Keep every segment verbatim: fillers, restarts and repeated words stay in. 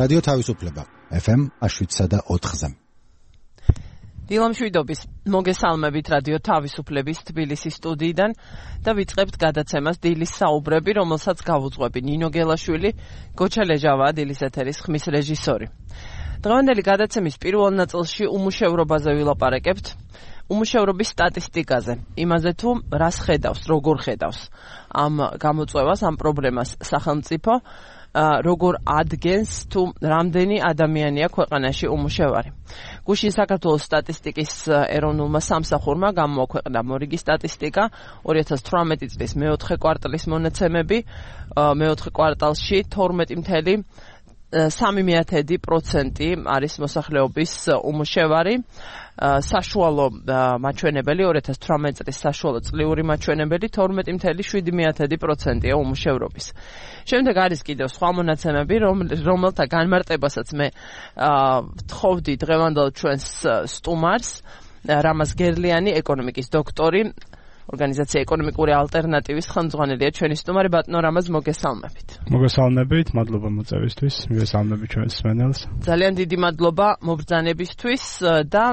რადიო თავისუფლება ეფ ემ შვიდსა და ოთხზე. დილამშვიდობის მოგესალმებით რადიო თავისუფლების თბილისის სტუდიიდან და ვიწყებთ გადაცემას დილის საუბრები, რომელსაც გავუძღვები ნინო გელაშვილი, გოჩა ლეჟავაა დილის ეთერის ხმის რეჟისორი. დღევანდელი გადაცემის პირველ ნაწილში უმუშევრობაზე ვილაპარაკებთ, უმუშევრობის სტატისტიკაზე, იმაზე თუ რას ხედავს, როგორ ხედავს ამ გამოწვევას, ამ პრობლემას სახელმწიფო, როგორ ადგენს თუ რამდენი ადამიანია ქვეყანაში უმუშევარი. გუშინ საქართველოს სტატისტიკის ეროვნულმა სამსახურმა გამოაქვეყნა მორიგი სტატისტიკა ორი ათას თვრამეტი წლის მეოთხე კვარტალის მონაცემები, მეოთხე კვარტალში თორმეტი წუთი სამი მეათედი პროცენტი არის მოსახლეობის უმუშევარი. საშუალო მაჩვენებელი ორი ათას თვრამეტი წლის საშუალო წლიური მაჩვენებელი თორმეტი წუთი შვიდი მეათედი პროცენტია უმუშევრობის. შემდეგ არის კიდევ სხვა მონაცემები, რომელთა განმარტებასაც მე ვთხოვდი დღევანდელ ჩვენს სტუმარს, რამაზ გერლიანი, ეკონომიკის დოქტორი, ორგანიზაცია ეკონომიკური ალტერნატივის ხელმძღვანელია ჩვენი სტუმარი. ბატონო რამაზ, მოგესალმებით. მოგესალმებით, მადლობა მოწვევისთვის, მივესალმებით ჩვენს მსმენელს. ძალიან დიდი მადლობა მობრძანებისთვის და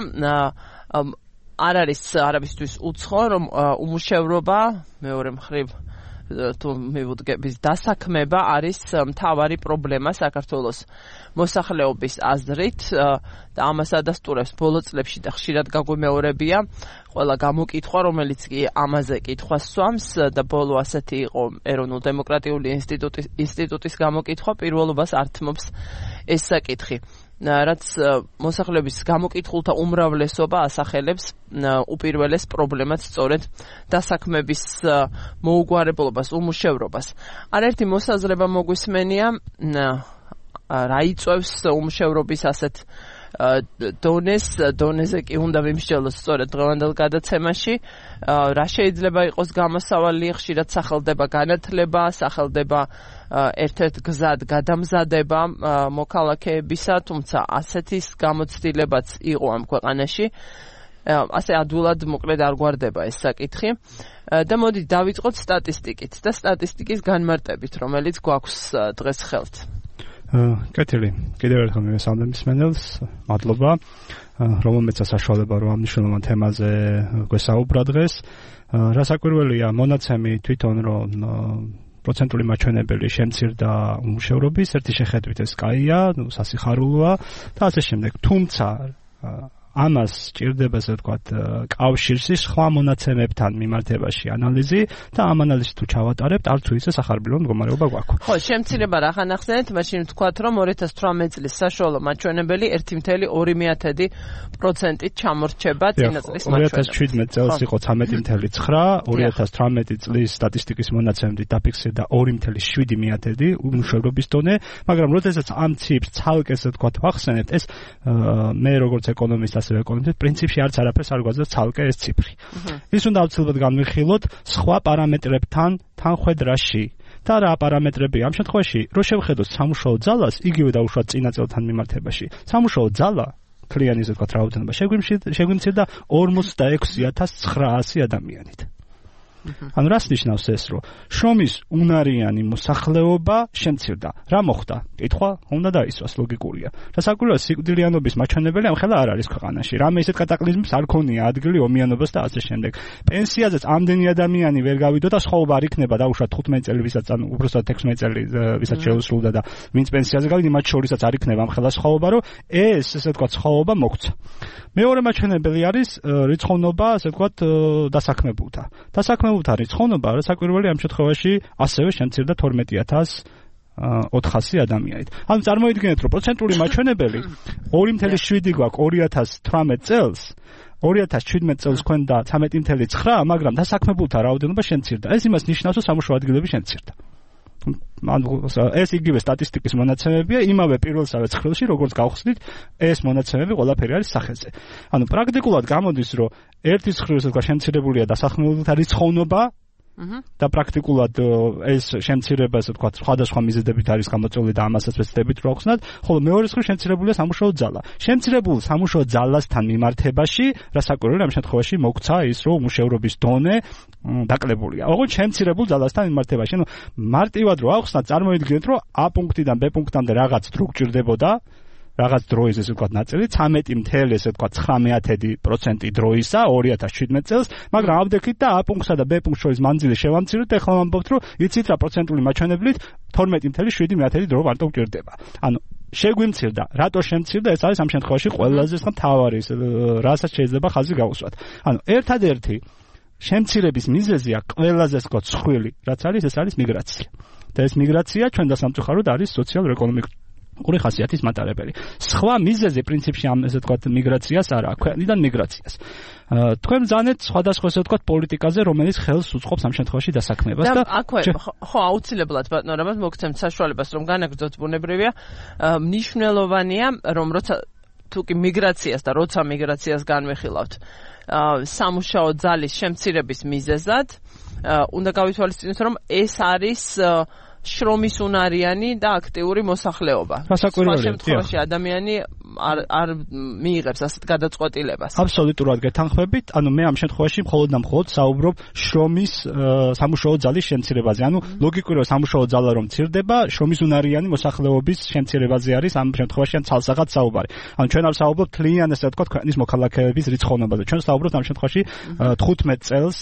არ არის არავისთვის უცხო, რომ უმუშევრობა მეორე მხრივ თუ მივუდგების დასაქმება არის მთავარი პრობლემა საქართველოს მოსახლეობის აზრით და ამას ადასტურებს ბოლო წლებში და ხშირად გაგვიმეორებია ყველა გამოკითხვა, რომელიც კი ამაზე კითხვას სვამს და ბოლო ასეთი იყო ეროვნულ-დემოკრატიული ინსტიტუტის ინსტიტუტის გამოკითხვა, პირველობას ართმობს ეს საკითხი. რაც მოსახლეობის გამოკითხულთა უმრავლესობა ასახელებს უპირველეს პრობლემას, სწორედ დასაქმების მოუგვარებლობას, უმუშევრობას. არაერთი მოსაზრება მოგვისმენია, რა იწვევს უმუშევრობის ასეთ დონეს, დონეზე კი უნდა ვიმსჯელოთ სწორედ დღევანდელ გადაცემაში, რა შეიძლება იყოს გამოსავალი, ხშირად სახელდება განათლება, სახელდება ერთ-ერთ გზად გადამზადება მოქალაქეებისა, თუმცა ასეთის გამოცდილებაც იყო ამ ქვეყანაში. ასე ადვილად მოკლედ არ გვარდება ეს საკითხი. და მოდით დავიწყოთ სტატისტიკით და სტატისტიკის განმარტებით, რომელიც გვაქვს დღეს ხელთ. კეთილი, კიდევ ერთხელ მივესალმებით მსმენელს, მადლობა, რომელმეც საშუალება რომ ამ მნიშვნელოვან თემაზე გვესაუბრა დღეს. რასაკვირველია, მონაცემი თვითონ რომ პროცენტული მაჩვენებელი შემცირდა უმუშევრობის, ერთი შეხედვით ეს კაია, სასიხარულოა და ასე შემდეგ. თუმცა ამას სჭირდება, ასე ვთქვათ, კავშირში სხვა მონაცემებთან მიმართებაში ანალიზი და ამ ანალიზს თუ ჩავატარებთ, არც თუ ისე სახარბილო მდგომარეობა გვაქვს. ხო, შემცირება რა ხანახსენეთ, მაშინ ვთქვათ, რომ ორი ათას თვრამეტი წლის საშუალო მაჩვენებელი ერთი წუთი ორი მეათედი პროცენტით ჩამორჩება წინა წლის მაჩვენებლით. ორი ათას შვიდმეტი წელს იყო ცხრამეტი წუთი ცხრა, ორი ათას თვრამეტი წლის სტატისტიკის მონაცემებით დაფიქსირდა ორი წუთი შვიდი მეათედი უმუშევრობის დონე, მაგრამ როდესაც ამ ციფრს ცალკე, ასე ვთქვათ, ვახსენებთ, ეს მე როგორც ეკონომისტი ასევე ეკონომისტი პრინციპში არც არაფერს არ გვაძლევს ცალკე ეს ციფრი. ის უნდა აუცილებლად განვიხილოთ სხვა პარამეტრებთან თანხვედრაში. და რა პარამეტრებია ამ შემთხვევაში, რომ შევხედოთ სამუშაო ძალას, იგივე დაუშვათ წინა წელთან მიმართებაში. სამუშაო ძალა ქლიანი, ასე ვთქვათ, რაოდენობა შეგვიმცირდა ორმოცდაექვსი ათას ცხრაასი ადამიანით. ანუ რას ნიშნავს ეს, რომ შრომის უნარიანი მოსახლეობა შემცირდა. რა მოხდა? კითხვა უნდა დაისვას, ლოგიკურია. რასაკვირველია, სიკვდილიანობის მაჩვენებელი ამ ხელა არ არის ქვეყანაში. რამე ისეთ კატაკლიზმს არ ქონია ადგილი ომიანობას და ასე შემდეგ. პენსიაზეც ამდენი ადამიანი ვერ გავიდო და სხვაობა არ იქნება, დაუშვათ თხუთმეტი წელი, ვისაც ან უბრალოდ ექვსმეტი წელი, ვისაც შეუსრულდა და ვინც პენსიაზე გავიდა, მათ შორისაც არ იქნება ამ ხელა სხვაობა, რომ ეს, ესე ვთქვათ, სხვაობა მოგვცა. მეორე მაჩვენებელი არის რიცხოვნობა, ასე ვთქვათ, დასაქმებულთა. დასაქმებულთა რიცხოვნობა, რასაკვირველია, ამ შემთხვევაში ასევე შემცირდა თორმეტი ათას ოთხასი ადამიანით. ანუ წარმოიდგინეთ, რომ პროცენტული მაჩვენებელი ორი წუთი შვიდი გვაქვს ორი ათას თვრამეტი წელს, ორი ათას შვიდმეტი წელს გვქონდა ცხრამეტი წუთი ცხრა, მაგრამ დასაქმებულთა რაოდენობა შემცირდა. ეს იმას ნიშნავს, რომ სამუშაო ადგილები შემცირდა. ეს იგივე სტატისტიკის მონაცემებია, იმავე პირველსავე ცხრილში, როგორც გავხსნით, ეს მონაცემები ყველაფერი არის სახელზე. ანუ პრაქტიკულად გამოდის, რომ ერთი ცხრილს შემცირებულია დასაქმებულთა რიცხოვნობა, და პრაქტიკულად ეს შემცირება, ასე ვთქვათ, სხვადასხვა მიზეზებით არის გამოწვეული და ამასაც ვეცდებით რომ ახსნათ, ხოლო მეორე მხრივ შემცირებულია სამუშაო ძალა. შემცირებულ სამუშაო ძალასთან მიმართებაში, რასაკვირველია ამ შემთხვევაში მოგცა ის, რომ უმუშევრობის დონე დაკლებულია. ოღონდ შემცირებულ ძალასთან მიმართებაში, ანუ მარტივად რო ახსნათ, წარმოიდგინეთ, რომ A პუნქტიდან B პუნქტამდე რაღაც დრო გჭირდებოდა, რაღაც დროის ესე ვთქვათ ნაწილი, ცამეტი მთელი ესე ვთქვათ ცხრამეტი პროცენტი დროისა ორი ათას შვიდმეტ წელს, მაგრამ ავდექით და A პუნქტსა და B პუნქტს შორის მანძილი შევამციროთ, ეხლა ვამბობთ, რომ იცით რა პროცენტული მაჩვენებლით თორმეტი მთელი შვიდი მეათედი დრო მარტო გჭირდება. ანუ შეგვიმცირდა, რატო შემცირდა, ეს არის ამ შემთხვევაში ყველაზე მთავარი, რასაც შეიძლება ხაზი გაუსვათ. ანუ ერთადერთი შემცირების მიზეზია ყველაზე ვთქვათ ცხვილი, რაც არის, ეს არის მიგრაცია. და ეს მიგრაცია ჩვენ დასამწუხაროდ არის სოციალურ-ეკონომიკური ორი ხასიათის მატარებელი. სხვა მიზეზი პრინციპში ამ ესე ვთქვათ მიგრაციას არ აქვს, ქვეყნიდან მიგრაციას. თქვენ ბრძანეთ სხვადასხვა ესე ვთქვათ პოლიტიკაზე, რომელიც ხელს უწყობს ამ შემთხვევაში დასაქმებას და აქვე ხო აუცილებლად ბატონო რამაც მოგცემთ საშუალებას რომ განაგრძოთ ბუნებრივია, მნიშვნელოვანია რომ როცა თუკი მიგრაციას და როცა მიგრაციას განვიხილავთ სამუშაო ძალის შემცირების მიზეზად, უნდა გავითვალისწინოთ რომ ეს არის შრომის უნარიანი და აქტიური მოსახლეობა. სხვა შემთხვევაში ადამიანი არ არ მიიღებს ასეთ გადაწყვეტილებას. აბსოლუტურად გეთანხმებით. ანუ მე ამ შემთხვევაში მხოლოდ და მხოლოდ საუბრობ შრომის სამუშაო ძალის შემცირებაზე. ანუ ლოგიკურია სამუშაო ძალა რომ მცირდება, შრომის უნარიანი მოსახლეობის შემცირებაზე არის ამ შემთხვევაში ან ცალსაღად საუბარი. ანუ ჩვენ არ საუბრობთ თლიან ესე ვთქვათ ქვეყნის მოქალაქეების რიცხოვნობაზე. ჩვენ საუბრობთ ამ შემთხვევაში თხუთმეტ წელს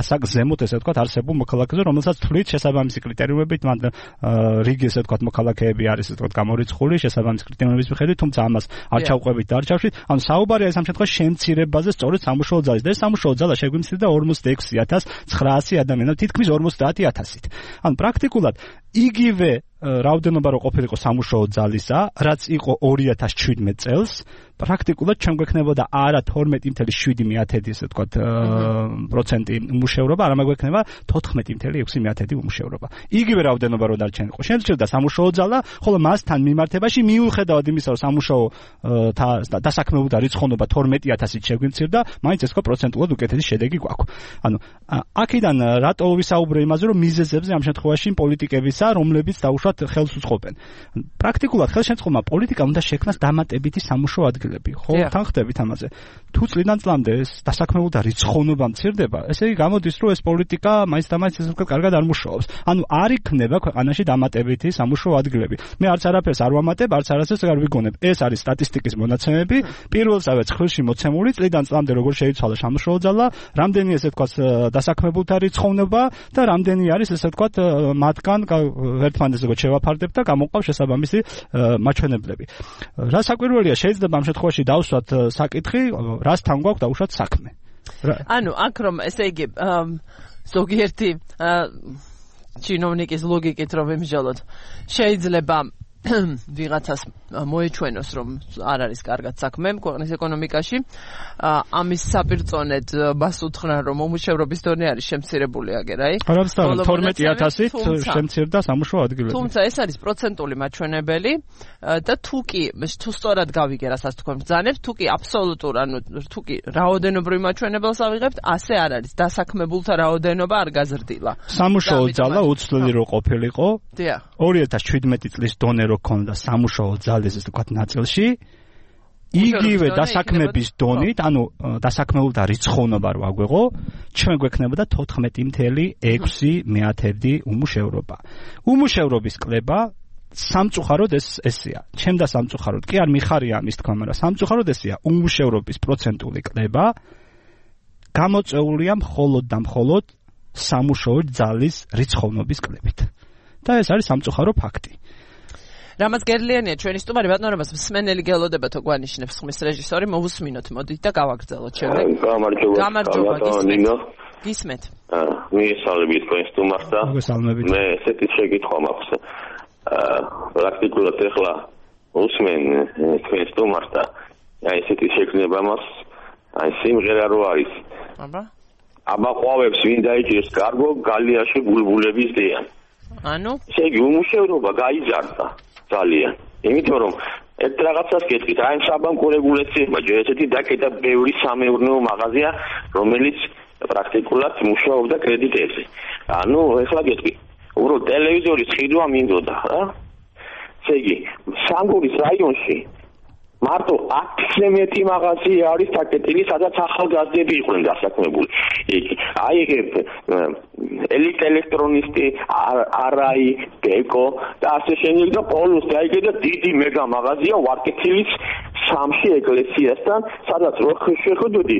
ასაკ ზემოთ ესე ვთქვათ არსებულ მოქალაქეზე, რომელსაც თვლით შესაბამისი კრიტერიუმებით რიგი ესე ვთქვათ მოქალაქეები არის ესე ვთქვათ გამორიცხული შესაბამის კრიტერიუმების მიხედვით, თუმცა ამას არ ჩავყვებით და არ ჩავშვით. ანუ საუბარია ეს ამ შემთხვევაში შემცირებაზე სწორედ სამუშაო ძალის და ეს სამუშაო ძალა შეგვიმცირდა ორმოცდაექვსი ათას ცხრაასი ადამიანად, თითქმის ორმოცდაათი ათასით. ანუ პრაქტიკულად იგივე რაოდენობა რო ყოფილიყო სამუშაო ძალისა, რაც იყო ორი ათას შვიდმეტ წელს, პრაქტიკულად ჩვენ გვექნებოდა არა თორმეტი მთელი შვიდი მეათედი ესე ვთქვათ პროცენტი უმუშევრობა, არამედ გვექნება თოთხმეტი მთელი ექვსი მეათედი უმუშევრობა. იგივე რაოდენობა რო დარჩენილიყო. შემცირდა სამუშაო ძალა, ხოლო მასთან მიმართებაში მიუხედავად იმისა, რომ სამუშაო დასაქმებულთა რიცხოვნობა თორმეტი ათასით შეგვიმცირდა, მაინც ეს ხო პროცენტულად უკეთესი შედეგი გვაქვს. ანუ აქედან რატო ვისაუბრე იმაზე, რომ მიზეზებზე ამ შემთხვევაში პოლიტიკებისა, რომლებიც დაუშვათ ხელს უწყობენ. პრაქტიკულად ხელშემწყობმა პოლიტიკა უნდა შექმნას დამატებითი სამუშაო ადგილები. ხო, თან ხდებით ამაზე. თუ წლიდან წლამდე ეს დასაქმებულთა რიცხოვნობა მცირდება, ესე იგი გამოდის, რომ ეს პოლიტიკა მაინც და მაინც ესე ვთქვათ კარგად არ მუშაობს. ანუ არ იქნება ქვეყანაში დამატებითი სამუშაო ადგილები. მე არც არაფერს არ ვამატებ, არც არასდროს არ ვიგონებ. ეს არის სტატისტიკის მონაცემები, პირველსავე ცხრილში მოცემული წლიდან წლამდე როგორ შეიცვალა სამუშაო ძალა, რამდენი ესე ვთქვათ დასაქმებულთა რიცხოვნობა და რამდენი არის ესე ვთქვათ მათგან ერთმანეთს როგორ შევაფარდებთ და გამოყავს შესაბამისი მაჩვენებლები. რა საკვირველია, შეიძლება ამ შემთხვევაში დავსვათ საკითხი, რასთან გვაქვს დაუშვათ საქმე. ანუ აქ რომ ესე იგი ზოგიერთი ჩინოვნიკის ლოგიკით რომ ვიმსჯელოთ, შეიძლება ვიღაცას მოეჩვენოს რომ არ არის კარგად საქმე ქვეყნის ეკონომიკაში, ამის საპირწონედ მას უთხრა რომ უმუშევრობის დონე არის შემცირებული აგერ, აი. არამედ თორმეტი ათასით შემცირდა სამუშაო ადგილები. თუმცა ეს არის პროცენტული მაჩვენებელი და თუ კი თუ სწორად გავიგე რასაც თქვენ ბრძანებთ, თუ კი აბსოლუტურ, ანუ თუ კი რაოდენობრივ მაჩვენებელს ავიღებთ, ასე არ არის. დასაქმებულთა რაოდენობა არ გაზრდილა. სამუშაო ძალა უცვლელი რო ყოფილიყო. დიახ. ორი ათას შვიდმეტი წლის დონე რო ქონდა სამუშაო ძალის ესე ვთქვათ ნაწილში, იგივე დასაქმების დონით, ანუ დასაქმებულთა რიცხოვნობა რო აგვეღო, ჩვენ გვექნებოდა თოთხმეტი მთელი ექვსი მეათედი უმუშევრობა. უმუშევრობის კლება სამწუხაროდ ეს ესეა. ჩემ და სამწუხაროდ კი არ მიხარია ამის თქვა, მაგრამ სამწუხაროდ ესეა. უმუშევრობის პროცენტული კლება გამოწეულია მხოლოდ და მხოლოდ სამუშაო ძალის რიცხოვნობის კლებით. და ეს არის სამწუხარო ფაქტი. რამაც გერლიანია ჩვენი სტუმარი, ბატონობას მსმენელი გელოდებათო გვანიშნებს ხმის რეჟისორი, მოვუსმინოთ მოდით და გავაგრძელოთ შემდეგ. გამარჯობა. გამარჯობა, გისმენთ. გისმენთ. მიესალმებით თქვენ სტუმარს და მე ესეთი შეკითხვა მაქვს. პრაქტიკულად ახლა უსმენ თქვენ სტუმარს და აი ესეთი შექმნება მაქვს, აი სიმღერა რო არის. აბა. აბა ყვავებს ვინ დაიჭირს კარგო გალიაში ბულბულების დიან. ანუ ესე იგი უმუშევრობა გაიზარდა ძალიან. იმიტომ რომ ერთ რაღაცას გეტყვით, აი საბანკო რეგულაციებმა ჯერ ესეთი დაკეტა ბევრი სამეურნეო მაღაზია, რომელიც პრაქტიკულად მუშაობდა კრედიტებზე. ანუ ეხლა გეტყვი, უბრალოდ ტელევიზორის ხიდვა მინდოდა რა. ესე იგი, სამგორის რაიონში მარტო ათზე მეტი მაღაზია არის საკეთილი, სადაც ახალგაზრდები იყვნენ დასაქმებული. აი ელიტ ელექტრონისტი, არაი, ბეკო და ასე შემდეგ და პოლუსი, აი კიდე დიდი მეგა მაღაზია ვარკეთილის სამში ეკლესიასთან, სადაც რო შეხვდოდი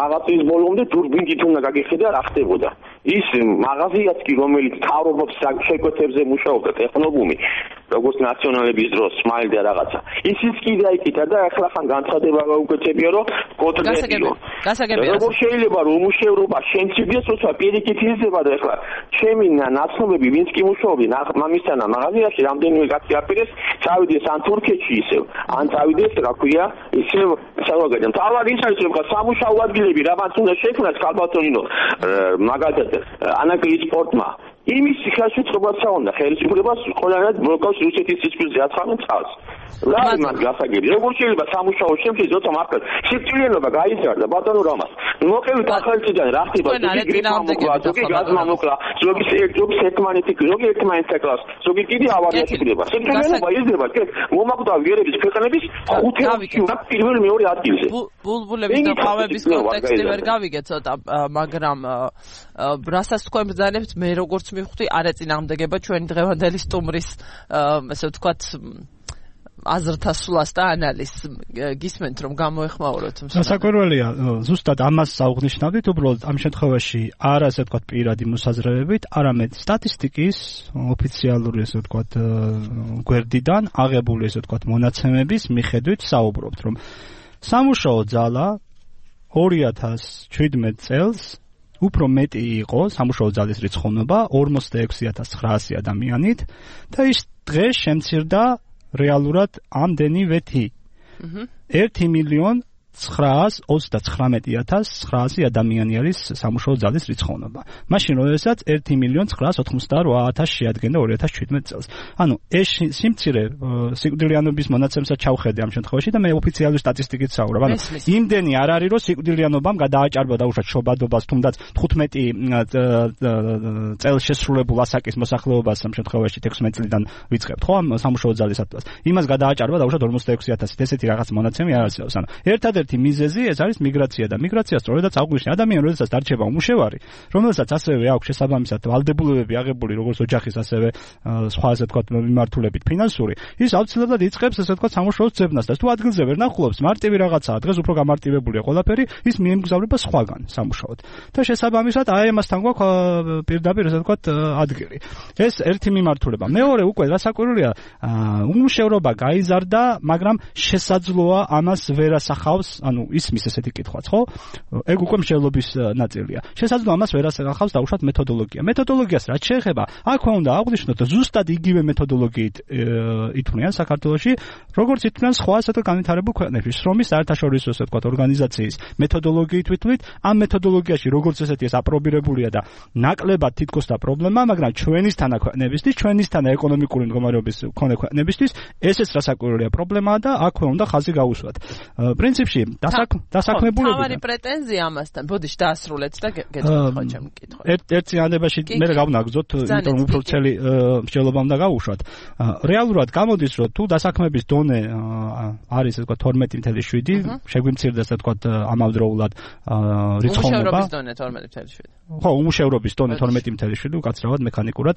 მაღაზიის ბოლომდე დურბინით უნდა გაგიხედა რა ხდებოდა. ის მაღაზიაც კი რომელიც თავრობებს შეკვეთებზე მუშაობდა ტექნობუმი, როგორც ნაციონალების დროს სმაილ და რაღაცა. ისიც კი დაიკიდა და ახლა ხან განცხადება გაუკეთებია რომ კოტრებიო. როგორ შეიძლება რომ უმუშევრობა შემცირდეს, როცა პირიქით იზრდება და ახლა ჩემი ნაცნობები ვინც კი მუშაობენ მამისთანა მაღაზიაში რამდენიმე კაცი აპირეს წავიდეს ან თურქეთში ისევ ან წავიდეს რა ქვია ისევ საზოგადოებამ. თავად ის არის რომ სამუშაო ადგილები რაღაც უნდა შექმნას ქალბატონინო მაგალითად ანაკლის სპორტმა იმის ხელშეწყობაც უნდა ხელისუფლებას ყველანაირად ბლოკავს რუსეთის სისხლზე აცხადნენ წავს. რა იმან გასაგები როგორ შეიძლება სამუშაო შემთხვევაში ზოთა მართლა სიკვდილიანობა გაიზარდა ბატონო რამას მოყევით ახალწლიდან რა ხდება ზოგი გრიპა მოკლა ზოგი გაზმა მოკლა ზოგი ზოგი სექტმანეთი ზოგი ერთმანეთს აკრავს ზოგი კიდე ავარიაში ხდება სიკვდილიანობა იზრდება კეთ მომაკვდა ვიერების ქვეყნების ხუთეულში და პირველ მეორე ადგილზე ბულბულების და ყავების კონტექსტი ვერ გავიგე ცოტა მაგრამ რასაც თქვენ ბრძანებთ მე როგორც მივხვდი არ ეწინააღმდეგება ჩვენი დღევანდელი სტუმრის ესე ვთქვათ აზრთა სულას და ანალიზს გისმენთ რომ გამოეხმაუროთ. საკურველია ზუსტად ამას საუღნიშნავდით უბრალოდ ამ შემთხვევაში არა ასე ვთქვათ პირადი მოსაზრებებით, არამედ სტატისტიკის ოფიციალური ასე ვთქვათ გვერდიდან აღებული ასე ვთქვათ მონაცემების მიხედვით საუბრობთ რომ სამუშაო ძალა ორი ათას ჩვიდმეტ წელს უფრო მეტი იყო სამუშაო ძალის რიცხოვნობა ორმოცდაექვსი ათას ცხრაასი ადამიანით და ის დღეს შემცირდა რეალურად ამდენივეთი. ერთი მილიონი ცხრაას ოცდაცხრამეტი ათას ცხრაასი ადამიანი არის სამუშაო ძალის რიცხოვნობა. მაშინ როდესაც ერთი მილიონი ცხრაას ოცდაოთხმოცდაორ ათასს შეადგენდა ორი ათას ჩვიდმეტ წელს. ანუ ეს სიმცირე სიკვდილიანობის მონაცემსაც ჩავხედე ამ შემთხვევაში და მე ოფიციალური სტატისტიკით საუბრობ. ანუ იმდენი არ არის რომ სიკვდილიანობამ გადააჭარბა დაუშვათ შობადობას თუნდაც თხუთმეტი წელს შესრულებულ ასაკის მოსახლეობას ამ შემთხვევაში თექვსმეტ წლიდან ვიწყებთ ხო ამ სამუშაო ძალის ატვას. იმას გადააჭარბა დაუშვათ ორმოცდაექვსი ათასით ესეთი რაღაც მონაცემი არ არსებობს. ანუ ერთადერთი ერთი მიზეზი ეს არის მიგრაცია და მიგრაცია სწორედაც აღვნიშნე ადამიანი როდესაც დარჩება უმუშევარი რომელსაც ასევე აქვს შესაბამისად ვალდებულებები აღებული როგორც ოჯახის ასევე სხვა ასე ვთქვათ მიმართულებით ფინანსური ის აუცილებლად იწყებს ასე ვთქვათ სამუშაოს ძებნას და თუ ადგილზე ვერ ნახულობს მარტივი რაღაცაა დღეს უფრო გამარტივებულია ყველაფერი ის მიემგზავრება სხვაგან სამუშაოდ და შესაბამისად აი ამასთან გვაქვს პირდაპირ ასე ვთქვათ ადგილი ეს ერთი მიმართულება მეორე უკვე რასაკვირველია უმუშევრობა გაიზარდა მაგრამ შესაძლოა ამას ვერ ასახავს ანუ ისმის ესეთი კითხვაც, ხო? ეგ უკვე მსჯელობის ნაწილია. შესაძლოა ამას ვერ ასახავს დაუშვათ მეთოდოლოგია. მეთოდოლოგიას რაც შეეხება, აქვე უნდა აღვნიშნოთ, ზუსტად იგივე მეთოდოლოგიით ითვლიან საქართველოში, როგორც ითვლიან სხვა ასეთ განვითარებულ ქვეყნებში. შრომის საერთაშორისო ასე ვთქვათ ორგანიზაციის მეთოდოლოგიით ვითვლით, ამ მეთოდოლოგიაში როგორც ესეთი ეს აპრობირებულია და ნაკლებად თითქოს და პრობლემა, მაგრამ ჩვენისთან ქვეყნებისთვის, ჩვენისთან ეკონომიკური მდგომარეობის მქონე ქვეყნებისთვის ესეც რასაკვირველია პრობლემაა და აქვე უნდა ხაზი გაუსვათ. პრინციპში დასაქმებულები თავარი პრეტენზია ამასთან ბოდიში დაასრულეთ და გეტყვით ჩემ კითხვა ერთ წინადებაში მე გავნაგზოთ იმიტომ უფრო წელი მსჯელობა უნდა გავუშვათ რეალურად გამოდის რომ თუ დასაქმების დონე არის ასე ვთქვათ თორმეტი წელი შვიდი შეგვიმცირდა ასე ვთქვათ ამავდროულად რიცხოვნობა უმუშევრობის დონე თორმეტი წელი შვიდი ხო უმუშევრობის დონე თორმეტი წელი შვიდი უკაცრავად მექანიკურად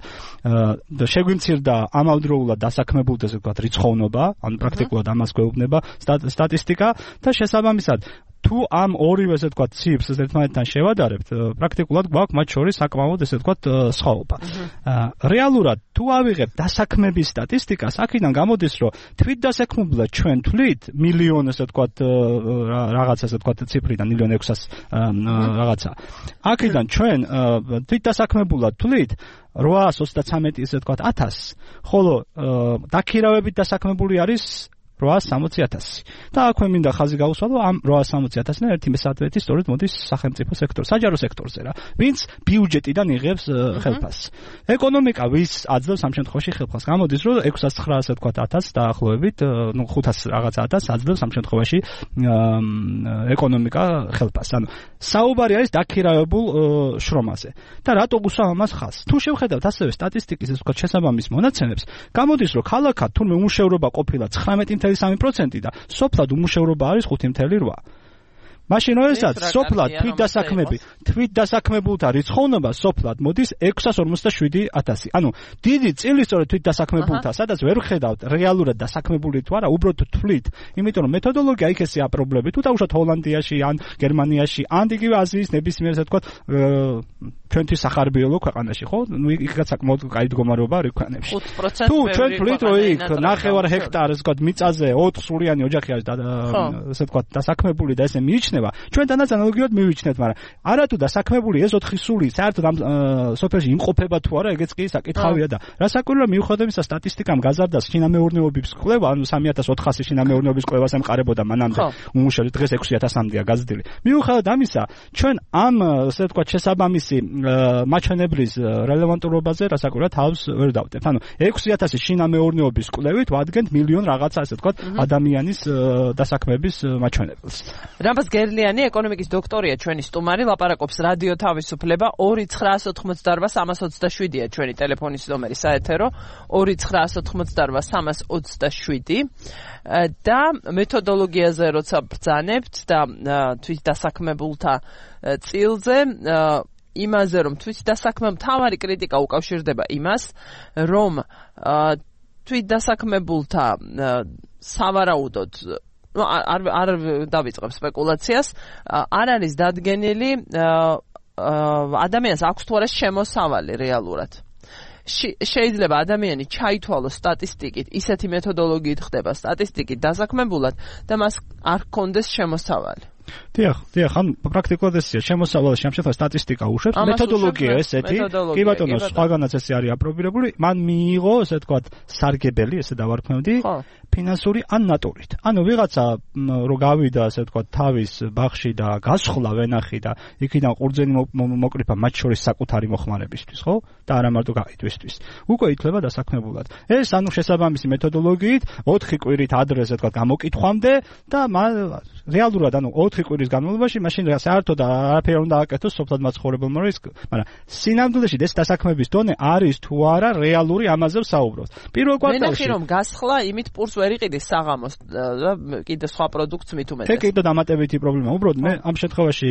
შეგვიმცირდა ამავდროულად დასაქმებულთა ასე ვთქვათ რიცხოვნობა ანუ პრაქტიკულად ამას გვეუბნება სტატისტიკა და შესაბამისად თუ ამ ორივე ესე ვთქვათ ციფრს ერთმანეთთან შევადარებთ პრაქტიკულად გვაქვს მათ შორის საკმაოდ ესე ვთქვათ სხვაობა რეალურად თუ ავიღებთ დასაქმების სტატისტიკას აქედან გამოდის რომ თვით დასაქმებულად ჩვენ თვლით მილიონ ესე ვთქვათ რაღაც ესე ვთქვათ ციფრიდან მილიონ ექვსას რაღაცა აქედან ჩვენ თვით დასაქმებულად თვლით რვაას ოცდაცამეტი ესე ვთქვათ ათასს ხოლო დაქირავებით დასაქმებული არის რვაას სამოცი ათასი. და აქვე მინდა ხაზი გაუსვალო ამ რვაას სამოცი ათასიდან ერთი მესამედი სწორედ მოდის სახელმწიფო სექტორ, საჯარო სექტორზე რა. ვინც ბიუჯეტიდან იღებს ხელფასს. ეკონომიკა ვის აძლევს ამ შემთხვევაში ხელფასს? გამოდის რომ ექვსას ცხრაას თქვა ათასს დაახლოებით, ნუ ხუთას რაღაცა ათასს აძლევს ამ შემთხვევაში ეკონომიკა ხელფასს. ანუ საუბარი არის დაქირავებულ შრომაზე. და რატო გუსვა ამას ხაზს? თუ შევხედავთ ასევე სტატისტიკის ეს ვთქვათ შესაბამის მონაცემებს, გამოდის რომ ქალაქად თურმე უმუშევრობა ყოფილა ცხრამეტი წუთი სამი პროცენტი და სოფლად უმუშევრობა არის ხუთი წუთი რვა. მაშინ როდესაც სოფლად თვით დასაქმები, თვით დასაქმებულთა რიცხოვნობა სოფლად მოდის ექვსას ორმოცდაშვიდი ათასი. ანუ დიდი წილისწორედ თვით დასაქმებულთა, სადაც ვერ ხედავთ რეალურად დასაქმებული თუ არა, უბრალოდ თვლით, იმიტომ რომ მეთოდოლოგია იქ ესეა პრობლემები. თუ დავუშვათ ჰოლანდიაში ან გერმანიაში, ან იგივე აზიის ნებისმიერ ასე ვთქვათ ჩვენთვის სახარბიელო ქვეყანაში, ხო? ნუ იქაც საკმაოდ კაი მდგომარეობა არის ქვეყნებში. თუ ჩვენ თვლით რომ იქ ნახევარ ჰექტარს ვთქვათ მიწაზე ოთხ სულიანი ოჯახი არის ასე ვთქვათ დასაქმებული და ესე მიიჩნევა, ჩვენთანაც ანალოგიურად მივიჩნეთ, მაგრამ არათუ დასაქმებული ეს ოთხი სული საერთოდ ამ სოფელში იმყოფება თუ არა, ეგეც კი საკითხავია და რასაკვირველია მიუხედავად იმისა სტატისტიკამ გაზარდა შინამეურნეობის კვლევა, ანუ სამი ათას ოთხასი შინამეურნეობის კვლევას ემყარებოდა მანამდე უმუშევრობა, დღეს ექვსი ათასამდეა გაზრდილი. მიუხედავად ამისა, ჩვენ ამ ასე ვთქვათ შესაბამისი მაჩვენებლის რელევანტურობაზე რასაკვირველია თავს ვერ დავდებთ. ანუ ექვსი ათასი შინამეურნეობის კვლევით ვადგენთ მილიონ რაღაცა ასე ვთქვათ ადამიანის დასაქმების მაჩვენებელს. რამბას გერლიანი ეკონომიკის დოქტორია ჩვენი სტუმარი, ლაპარაკობს რადიო თავისუფლება. ორი ცხრაას ოთხმოცდარვა სამას ოცდაშვიდია ჩვენი ტელეფონის ნომერი საეთერო, ორი ცხრაას ოთხმოცდარვა სამას ოცდაშვიდი. და მეთოდოლოგიაზე როცა ბრძანებთ და თვით დასაქმებულთა წილზე, იმაზე რომ თვით დასაქმებულთა მთავარი კრიტიკა უკავშირდება იმას, რომ თვით დასაქმებულთა სავარაუდოდ ну არ არ დავიწყებ სპეკულაციას, არ არის დადგენილი ადამიანს აქვს თუ არა შემოსავალი რეალურად. შეიძლება ადამიანი ჩაითვალოს სტატისტიკით, ისეთი მეთოდოლოგიით ხდება სტატისტიკით დასაქმებულად და მას არ ჰქონდეს შემოსავალი. დიახ, დიახ, ან პრაქტიკულად ესეა, შემოსავალში ამ შემთხვევაში სტატისტიკა უშვებს, მეთოდოლოგია ესეთი, კი ბატონო, სხვაგანაც ესე არის აპრობირებული, მან მიიღო, ესე ვთქვათ, სარგებელი, ესე დავარქმევდი, ფინანსური ან ნატურით. ანუ ვიღაცა რო გავიდა, ასე ვთქვათ, თავის ბაღში და გასხლა ვენახი და იქიდან ყურძენი მოკრიფა მათ შორის საკუთარი მოხმარებისთვის, ხო? და არა მარტო გაიტვისთვის. უკვე ითვლება დასაქმებულად. ეს ანუ შესაბამისი მეთოდოლოგიით ოთხი კვირით ადრე, ასე ვთქვათ, გამოკითხვამდე და რეალურად ანუ ოთხი კვირის განმავლობაში მაშინ საერთოდ არაფერი უნდა აკეთოს სოფლად მაცხოვრებელმა რისკ, მაგრამ სინამდვილეში ეს დასაქმების დონე არის თუ არა რეალური ამაზე ვსაუბრობთ. პირველ კვარტალში მენახი რომ გასხლა იმით პურს ვერ იყიდეს საღამოს და კიდე სხვა პროდუქტს მით უმეტეს. ეგ კიდე დამატებითი პრობლემა. უბრალოდ მე ამ შემთხვევაში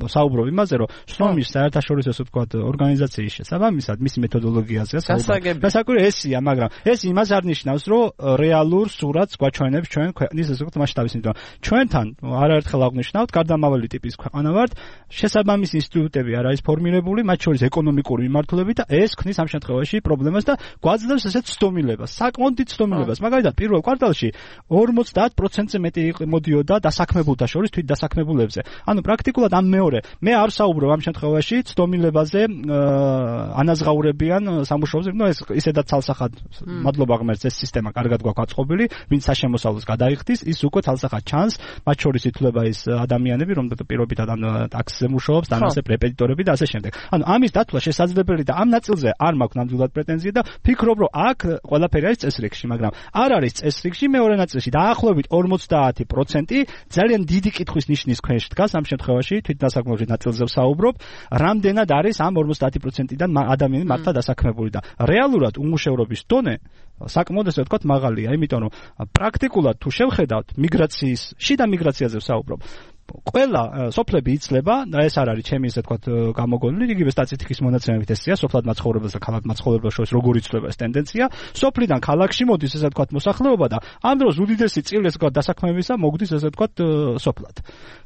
ვსაუბრობ იმაზე, რომ სნომის საერთაშორისო ასე ვთქვათ ორგანიზაციის შესაბამისად მისი მეთოდოლოგიაზეა საუბარი. გასაკვირია ესია, მაგრამ ეს იმას არ ნიშნავს, რომ რეალურ სურათს გვაჩვენებს ჩვენ ქვეყნის ასე ვთქვათ მასშტაბის, იმიტომ ჩვენთან არაერთხელ აღნიშნავთ, გარდამავალი ტიპის ქვეყანა ვართ, შესაბამისი ინსტიტუტები არ არის ფორმირებული, მათ შორის ეკონომიკური მიმართულებით და ეს ქმნის ამ შემთხვევაში პრობლემას და გვაძლევს ესეთ ცდომილებას, საკმაოდ დიდ ცდომილებას. მაგალითად, პირველ კვარტალში ორმოცდაათ პროცენტზე მეტი მოდიოდა დასაქმებულთა შორის თვით დასაქმებულებზე. ანუ პრაქტიკულად ამ მეორე, მე არ საუბრობ ამ შემთხვევაში ცდომილებაზე ანაზღაურებიან სამუშაოზე, ნუ ეს ისედაც ცალსახად მადლობა ღმერთს ეს სისტემა კარგად გვაქვს აწყობილი, ვინც საშემოსავლოს გადაიხდის, ის უკვე ცალსახად ჩანს, მათ შორის ითვლება ის ადამიანები, რომ პირობითად ამ ტაქსზე მუშაობს, დამასე რეპეტიტორები და ასე შემდეგ. ანუ ამის დათვლა შესაძლებელი და ამ ნაწილზე არ მაქვს ნამდვილად პრეტენზია და ფიქრობ, რომ აქ ყველაფერი არის წესრიგში, მაგრამ არ არის წესრიგში მეორე ნაწილში დაახლოებით ორმოცდაათი პროცენტი ძალიან დიდი კითხვის ნიშნის ქვეშ დგას ამ შემთხვევაში თვით დასაქმებულთა ნაწილზე ვსაუბრობ, რამდენად არის ამ ორმოცდაათი პროცენტიდან ადამიანი მართლა დასაქმებული და რეალურად უმუშევრობის დონე საკმაოდ ესე ვთქვათ მაღალია, იმიტომ რომ პრაქტიკულად თუ შევხედავთ მიგრაციის, შიდა მიგრაციაზე ვსაუბრობ, ყველა სოფლები იცლება და ეს არ არის ჩემი ესე ვთქვათ გამოგონილი, იგივე სტატისტიკის მონაცემებით ესეა, სოფლად მაცხოვრებელს და ქალაქ მაცხოვრებელს შორის როგორ იცლება ეს ტენდენცია. სოფლიდან ქალაქში მოდის ესე ვთქვათ მოსახლეობა და ამ დროს უდიდესი წილი ესე ვთქვათ დასაქმებისა მოგდის ესე ვთქვათ სოფლად.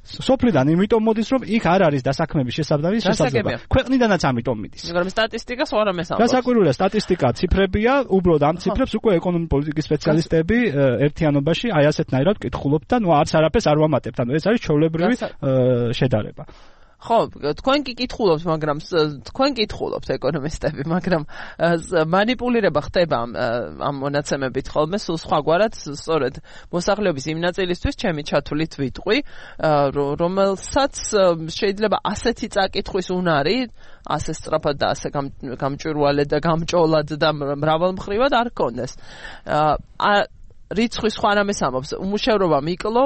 სოფლიდან იმიტომ მოდის, რომ იქ არ არის დასაქმების შესაბამისი შესაძლებლობა. ქვეყნიდანაც ამიტომ მიდის. მაგრამ სტატისტიკას ვარ ამესამბობს. გასაკვირველია, სტატისტიკა ციფრებია, უბრალოდ ამ ციფრებს უკვე ეკონომიკური პოლიტიკის სპეციალისტები ერთიანობაში აი ასეთნაირად კითხულობთ და ნუ არც არაფერს არ ვამატებთ. ანუ ეს არის ჩვეულებრივი შედარება. ხო, თქვენ კი კითხულობთ, მაგრამ თქვენ კითხულობთ ეკონომისტები, მაგრამ манипулირება ხდება ამ მონაცემებით ხოლმე სულ სხვაგვარად, სწორედ მოსახლეობის იმ ნაწილისთვის ჩემი ჩათვლით ვიტყვი, რომელსაც შეიძლება ასეთი წაკითხვის უნარი, ასე სწრაფად და ასე გამჭვირვალედ და გამჭოლად და მრავალმხრივად არ ქონდეს. რიცხვის სხვა რამეს ამობს, უმუშევრობა მიკლო,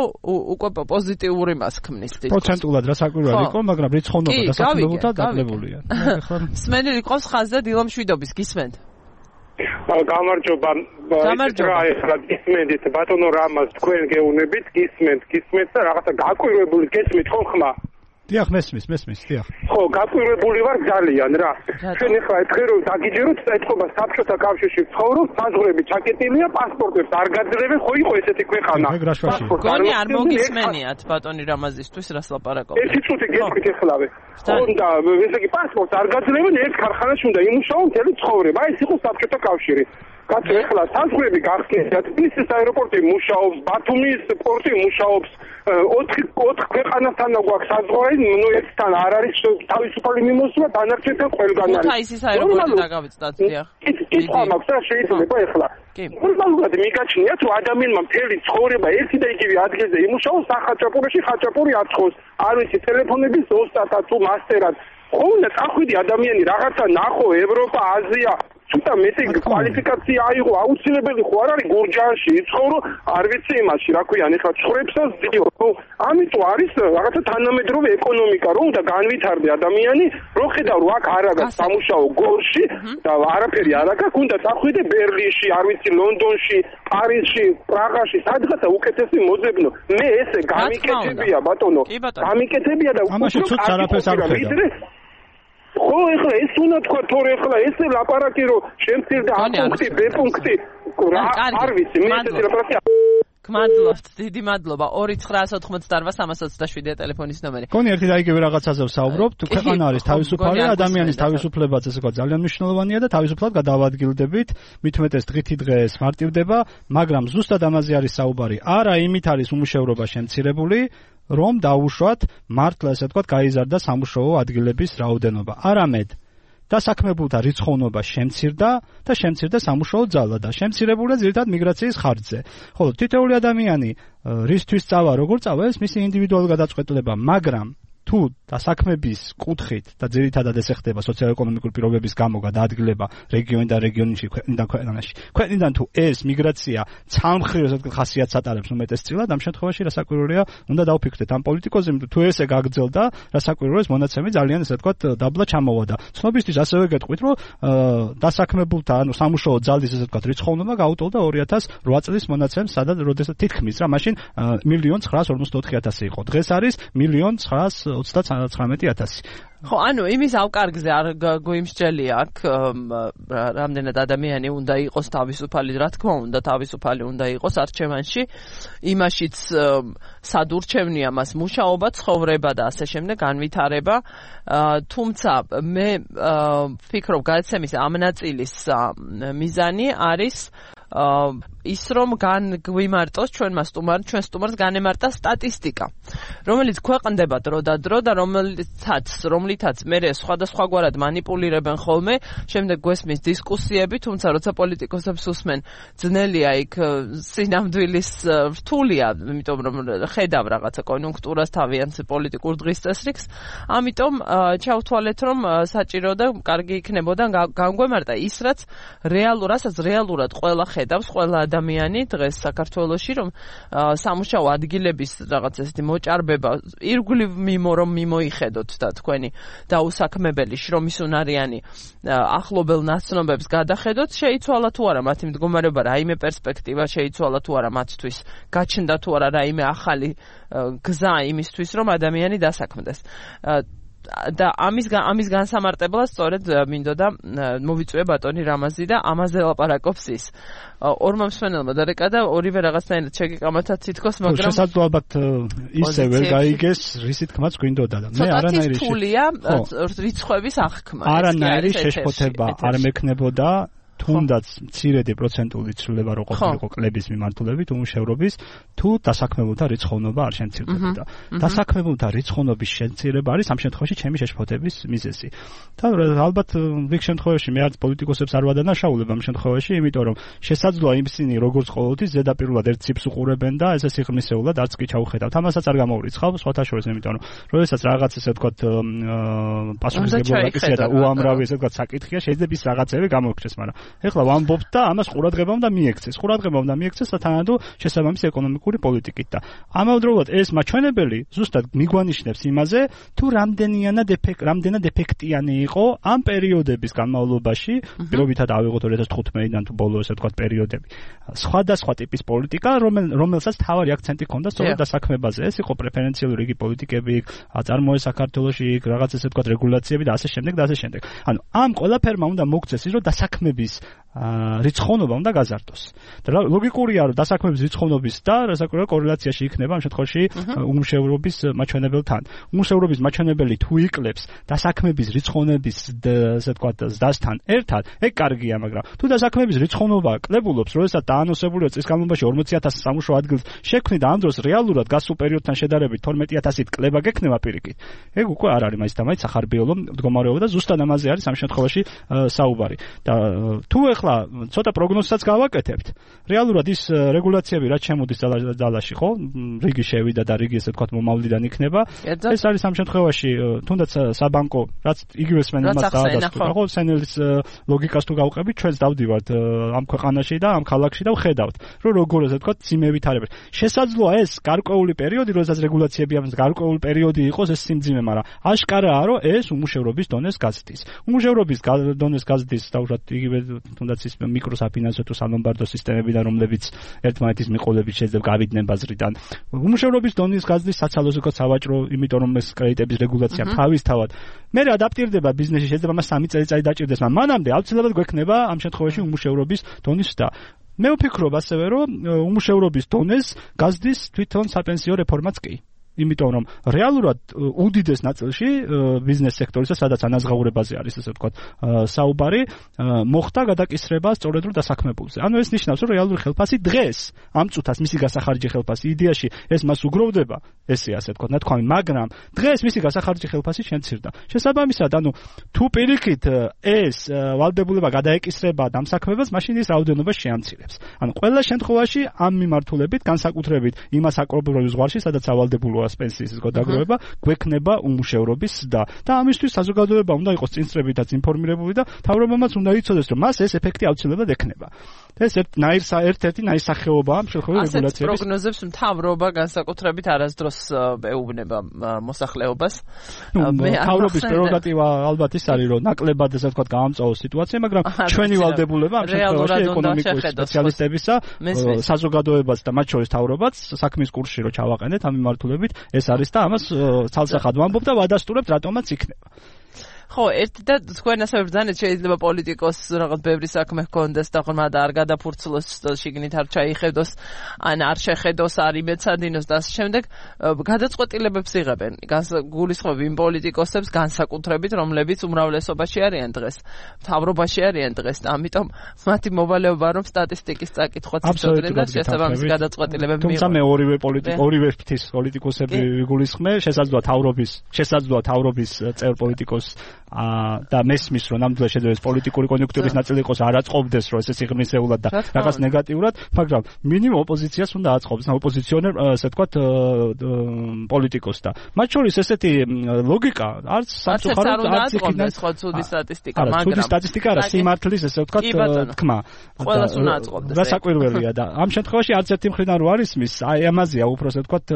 უკვე პოზიტიური მას ქმნის თითქოს. პროცენტულად რა საკვირველი იყო, მაგრამ რიცხოვნობა დასაქმებულთა დაკლებულია. მსმენელი ყავს ხაზზე დილამ შვიდობის, გისმენთ? გამარჯობა. გამარჯობა. გისმენთ ბატონო რამას თქვენ გეუნებით, გისმენთ, გისმენთ და რაღაცა გაკვირვებული გესმით ხო ხმა? დიახ, მესმის, მესმის, დიახ. ხო, გაკვირვებული ვარ ძალიან რა. ჩვენ ახლა ეთქე რომ დაგიჯეროთ ეთქობა საბჭოთა კავშირში ცხოვრობ, საზღვრები ჩაკეტილია, პასპორტებს არ გაძლევენ, ხო იყო ესეთი ქვეყანა. გონი არ მოგისმენიათ ბატონი რამაზისთვის რას ლაპარაკობთ? ერთი წუთი გეტყვით ეხლავე. უნდა ესე იგი პასპორტს არ გაძლევენ, ერთ ქარხანაში უნდა იმუშაო მთელი ცხოვრება. აი ეს იყო საბჭოთა კავშირი. კაცო ეხლა საზღვრები გახსნათ, თბილისის აეროპორტი მუშაობს, ბათუმის პორტი მუშაობს, ოთხ ოთხ ქვეყანასთან გვაქვს საზღვარი, ნუ ერთთან არ არის თავისუფალი მიმოსვლა, დანარჩენთან ყველგან არის. ქუთაისის აეროპორტი დაგავიწყდათ, დიახ. კითხვა მაქვს რა შეიძლება ეხლა. ნორმალურად მიგაჩნიათ, რომ ადამიანმა მთელი ცხოვრება ერთი და იგივე ადგილზე იმუშაოს, სახაჭაპურიაში ხაჭაპური აწყოს, არ ვიცი, ტელეფონების ზუსტად თუ მასტერად. ხოლმე წახვიდი ადამიანი რაღაცა ნახო ევროპა, აზია ცოტა მეტი კვალიფიკაცია აიღო, აუცილებელი ხო არ არის გურჯაანში იცხოვრო, არ ვიცი იმაში, რა ქვია, ეხლა ცხრებსაც ძიო. ამიტომ არის რაღაცა თანამედროვე ეკონომიკა, რომ უნდა განვითარდე ადამიანი, რომ ხედავ რომ აქ არ აქვს სამუშაო გორში და არაფერი არ აქვს, უნდა წახვიდე ბერლინში, არ ვიცი, ლონდონში, პარიზში, პრაღაში, სადღაცა უკეთესი მოძებნო. მე ესე გამიკეთებია, ბატონო. გამიკეთებია და ამაში ცოტა არაფერს არ ხედავ. ხო, ეხლა ეს უნდა თქვა, თორე ეხლა ესე ლაპარაკი რომ შემცირდა ა პუნქტი, ბ პუნქტი, რა არ ვიცი, მე ესეთი ლაპარაკი. გმადლობთ, დიდი მადლობა. ორი ცხრაას ოთხმოცდაარბა სამას ოცდაშვიდია ტელეფონის ნომერი. გონი ერთი და იგივე რაღაცაზე ვსაუბრობთ, ქვეყანა არის თავისუფალი, ადამიანის თავისუფლებაც ესე ვთქვათ ძალიან მნიშვნელოვანია და თავისუფლად გადავადგილდებით, მით უმეტეს დღითი დღეს მარტივდება, მაგრამ ზუსტად ამაზე არის საუბარი. არა იმით არის უმუშევრობა შემცირებული, რომ დაუშვათ მართლა ესე ვთქვათ გაიზარდა სამუშაო ადგილების რაოდენობა. არამედ დასაქმებულთა რიცხოვნობა შემცირდა და შემცირდა სამუშაო ძალა და შემცირებულია ძირითადად მიგრაციის ხარჯზე. ხოლო თითოეული ადამიანი რისთვის წავა, როგორ წავა, ეს მისი ინდივიდუალური გადაწყვეტილება, მაგრამ თუ დასაქმების კუთხით და ძირითადად ეს ხდება სოციალურ-ეკონომიკური პირობების გამო გადაადგილება რეგიონიდან რეგიონში, ქვეყნიდან ქვეყანაში. ქვეყნიდან თუ ეს მიგრაცია ცალმხრივ ესე ვთქვათ ხასიათს ატარებს უმეტესწილად, ამ შემთხვევაში რასაკვირველია, უნდა დავფიქრდეთ ამ პოლიტიკოზე, თუ ესე გაგრძელდა, რასაკვირველია ეს მონაცემი ძალიან ესე ვთქვათ დაბლა ჩამოვადა. ცნობისთვის ასევე გეტყვით, რომ დასაქმებულთა, ანუ სამუშაო ძალის ესე ვთქვათ რიცხოვნობა გაუტოლდა ორი ათას რვა წლის მონაცემს, სადაც როდესაც თითქმის რა, მაშინ მილიონ ცხრაას ორმოცდაოთხი ათასი იყო. დღეს არის მილიონ ცხრაას ოცდაცხრამეტი ათასი. ხო, ანუ იმის ავკარგზე არ გვიმსჯელია აქ რამდენად ადამიანი უნდა იყოს თავისუფალი, რა თქმა უნდა, თავისუფალი უნდა იყოს არჩევანში. იმაშიც სად ურჩევნია მას მუშაობა, ცხოვრება და ასე შემდეგ, განვითარება. თუმცა მე ვფიქრობ, გადაცემის ამ ნაწილის მიზანი არის ის რომ განგვიმარტოს ჩვენმა სტუმარ, ჩვენ სტუმარს განემარტა სტატისტიკა, რომელიც ქვეყნდება დრო და დრო და რომელიცაც, რომლითაც მე სხვადასხვაგვარად манипуლირებენ ხოლმე, შემდეგ გვესმის დისკუსიები, თუმცა როცა პოლიტიკოსებს უსმენ, ძნელია იქ სინამდვილის რთულია, იმიტომ რომ ხედავ რაღაცა კონიუნქტურას თავიანთ პოლიტიკურ დღის წესრიგს, ამიტომ ჩავთვალეთ, რომ საჭირო და კარგი იქნებოდა განგვემარტა ის, რაც რეალურასაც რეალურად ყველა ხედავს, ყველა ადამიანი დღეს საქართველოში, რომ სამუშაო ადგილების რაღაც ესეთი მოჭარბება ირგვლივ მიმო რომ მიმოიხედოთ და თქვენი დაუსაქმებელი შრომის უნარიანი ახლობელ ნაცნობებს გადახედოთ, შეიცვალა თუ არა მათი მდგომარეობა, რაიმე პერსპექტივა შეიცვალა თუ არა მათთვის, გაჩნდა თუ არა რაიმე ახალი გზა იმისთვის, რომ ადამიანი დასაქმდეს. და ამის ამის განსამარტებლად სწორედ მინდოდა მოვიწვია ბატონი რამაზი და ამაზე ლაპარაკობს ის. ორმა მსმენელმა დარეკა და ორივე რაღაცნაირად შეგეკამათა თითქოს, მაგრამ შესაძლოა ალბათ ისე ვერ გაიგეს, რისი თქმაც გვინდოდა და მე არანაირი რიცხვების აღქმა. არანაირი შეშფოთება არ მექნებოდა თუნდაც მცირედი პროცენტული ცვლილება რო ყოფილიყო კლების მიმართულებით უმუშევრობის, თუ დასაქმებულთა რიცხოვნობა არ შემცირდებოდა. დასაქმებულთა რიცხოვნობის შემცირება არის ამ შემთხვევაში ჩემი შეშფოთების მიზეზი. და ალბათ რიგ შემთხვევაში მე არც პოლიტიკოსებს არ ვადანაშაულებ ამ შემთხვევაში, იმიტომ რომ შესაძლოა ისინი როგორც ყოველთვის ზედაპირულად ერთ ციფრს უყურებენ და ესე სიღრმისეულად არც კი ჩაუხედავთ. ამასაც არ გამოურიცხავ სხვათა შორის, იმიტომ რომ როდესაც რაღაც ესე ვთქვათ პასუხისმგებლობა და უამრავი ესე ვთქვათ საკითხია, შეიძლება ის რაღაცები გამოგჩეს, მაგრამ ეხლა ვამბობთ და ამას ყურადღება უნდა მიექცეს. ყურადღება უნდა მიექცეს სათანადო შესაბამისი ეკონომიკური პოლიტიკით და ამავდროულად ეს მაჩვენებელი ზუსტად მიგვანიშნებს იმაზე, თუ რამდენიანად ეფექტ რამდენად ეფექტიანი იყო ამ პერიოდების განმავლობაში, პირობითად ავიღოთ ორი ათას თხუთმეტიდან თუ ბოლო ესე ვთქვათ პერიოდები. სხვადასხვა ტიპის პოლიტიკა, რომელსაც თავარი აქცენტი ჰქონდა სწორედ დასაქმებაზე. ეს იყო პრეფერენციული რიგი პოლიტიკები, აწარმოე საქართველოში, რაღაც ესე ვთქვათ რეგულაციები და ასე შემდეგ და ასე შემდეგ. ანუ ამ ყველაფერმა უნდა მოგცეს ის, რომ დასაქმების რიცხოვნობა უნდა გაზარდოს. და ლოგიკურია, რომ დასაქმების რიცხოვნობის და რასაკვირველია კორელაციაში იქნება ამ შემთხვევაში უმუშევრობის მაჩვენებელთან. უმუშევრობის მაჩვენებელი თუ იკლებს დასაქმების რიცხოვნების ესე ვთქვათ ზრდასთან ერთად, ეგ კარგია, მაგრამ თუ დასაქმების რიცხოვნობა კლებულობს, როდესაც დაანონსებულია წლის განმავლობაში ორმოცი ათასი სამუშაო ადგილს შექმნით და ამ დროს რეალურად გასულ პერიოდთან შედარებით თორმეტი ათასით კლება გექნება პირიქით. ეგ უკვე არ არის მაინც და მაინც სახარბიელო მდგომარეობა და ზუსტად ამაზე არის ამ შემთხვევაში საუბარი. და თუ ეხლა ცოტა პროგნოზსაც გავაკეთებთ, რეალურად ის რეგულაციები რაც შემოდის ძალაში, ხო? რიგი შევიდა და რიგი ესე ვთქვათ მომავლიდან იქნება. ეს არის ამ შემთხვევაში თუნდაც საბანკო, რაც იგივე სმენელს დაადასტურა, ხო? სენელის ლოგიკას თუ გავყევით, ჩვენს დავდივართ ამ ქვეყანაში და ამ ქალაქში და ვხედავთ, რომ როგორ ესე ვთქვათ სიმები თარებს. შესაძლოა ეს გარკვეული პერიოდი, როდესაც რეგულაციები ამას გარკვეული პერიოდი იყოს ეს სიმძიმე, მაგრამ აშკარაა, რომ ეს უმუშევრობის დონეს გაზრდის. უმუშევრობის დონეს გაზრდის დაუშვათ იგივე თუნდაც ის მიკროსაფინანსო თუ სალომბარდო სისტემებიდან, რომლებიც ერთმანეთის მიყოლებით შეიძლება გავიდნენ ბაზრიდან. უმუშევრობის დონის გაზრდის საცალოს უკვე სავაჭრო, იმიტომ რომ ეს კრედიტების რეგულაცია თავისთავად მე ადაპტირდება ბიზნესში, შეიძლება მას სამი წელიწადი დაჭირდეს, მაგრამ მანამდე აუცილებლად გვექნება ამ შემთხვევაში უმუშევრობის დონის ზრდა. მე ვფიქრობ ასევე, რომ უმუშევრობის დონეს გაზრდის თვითონ საპენსიო რეფორმაც კი. იმიტომ რომ რეალურად უდიდეს ნაწილში ბიზნეს სექტორისა, სადაც ანაზღაურებაზე არის ესე ვთქვათ საუბარი, მოხდა გადაკისრება სწორედ დასაქმებულზე. ანუ ეს ნიშნავს, რომ რეალური ხელფასი დღეს ამ წუთას მისი გასახარჯი ხელფასი იდეაში ეს მას უგროვდება, ესე ასე ვთქვათ, ნათქვამი, მაგრამ დღეს მისი გასახარჯი ხელფასი შემცირდა. შესაბამისად, ანუ თუ პირიქით ეს ვალდებულება გადაეკისრება დამსაქმებას, მაშინ ის რაოდენობა შეამცირებს. ანუ ყველა შემთხვევაში ამ მიმართულებით, განსაკუთრებით იმას აკრობებულ ზღვარში, სადაც ავალდებულოა პენსიის გადაგროვება, გვექნება უმუშევრობის და და ამისთვის საზოგადოება უნდა იყოს წინსწრებითაც ინფორმირებული და თავრობამაც უნდა იცოდეს, რომ მას ეს ეფექტი აუცილებლად ექნება. ეს ერთ-ერთი ნაირსახეობაა ამ შემთხვევაში რეგულაციების. ასეთ პროგნოზებს მთავრობა განსაკუთრებით არასდროს ეუბნება მოსახლეობას. მთავრობის პრეროგატივა ალბათ ის არის, რომ ნაკლებად ესე ვთქვათ გაამწვავოს სიტუაცია, მაგრამ ჩვენი ვალდებულება ამ შემთხვევაში ეკონომიკური სპეციალისტებისა, საზოგადოებას და მათ შორის თავრობაც საქმის კურსში რო ჩავაყენეთ ამ მიმართულებით ეს არის და ამას ცალსახად ვამბობ და ვადასტურებთ რატომაც იქნება. ხო, ერთი და თქვენ ასე ბრძანეთ, შეიძლება პოლიტიკოს რაღაც ბევრი საქმე ჰქონდეს და ხომ არ გადაფურცლოს, შიგნით არ ჩაიხედოს, ან არ შეხედოს, არ იმეცადინოს და ასე შემდეგ, გადაწყვეტილებებს იღებენ. გულისხმობ იმ პოლიტიკოსებს განსაკუთრებით, რომლებიც უმრავლესობაში არიან დღეს, მთავრობაში არიან დღეს და ამიტომ მათი მოვალეობა რომ სტატისტიკის წაკითხვა ცდილობენ და შესაბამისი გადაწყვეტილებები მიიღონ. თუმცა მე ორივე პოლიტიკო, ორივე ფრთის პოლიტიკოსები გულისხმე, შესაძლოა თავრობის, შესაძლოა თავრობის წევრ პოლიტიკოს და მესმის რომ ნამდვილად შეიძლება პოლიტიკური კონიუნქტურის ნაწილი იყოს არ აწყობდეს რომ ესე სიღრმისეულად და რაღაც ნეგატიურად, მაგრამ მინიმუმ ოპოზიციას უნდა აწყობს, ოპოზიციონერ ასე ვთქვათ პოლიტიკოს და მათ შორის ესეთი ლოგიკა არც სამწუხაროდ არც იქიდან სხვა ცუდი სტატისტიკა, მაგრამ ცუდი სტატისტიკა არა, სიმართლის ესე ვთქვათ თქმა. ყველას უნდა აწყობდეს. რასაკვირველია და ამ შემთხვევაში არც ერთი მხრიდან რო არის მის, აი ამაზეა უფრო ასე ვთქვათ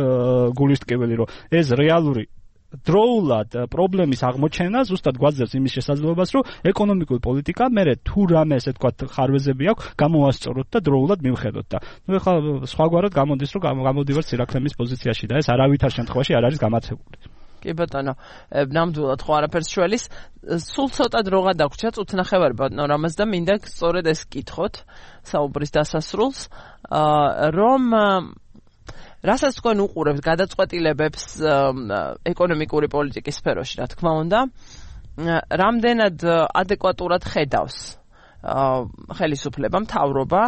გულისტკივილი, რომ ეს რეალური დროულად პრობლემის აღმოჩენა ზუსტად გვაძლევს იმის შესაძლებლობას, რომ ეკონომიკური პოლიტიკა მერე თუ რამე ესე ვთქვათ ხარვეზები აქვს, გამოვასწოროთ და დროულად მივხედოთ და ნუ ეხლა სხვაგვარად გამოდის, რომ გამოდივართ სირაქლემის პოზიციაში და ეს არავითარ შემთხვევაში არ არის გამართებული. კი ბატონო, ნამდვილად ხო არაფერს შველის, სულ ცოტა დრო გადაგვრჩა უცნახევარი ბატონო რამაზ და მინდა სწორედ ეს კითხოთ საუბრის დასასრულს, რომ რასაც თქვენ უყურებთ გადაწყვეტილებებს ეკონომიკური პოლიტიკის სფეროში, რა თქმა უნდა, რამდენად ადეკვატურად ხედავს ხელისუფლება, მთავრობა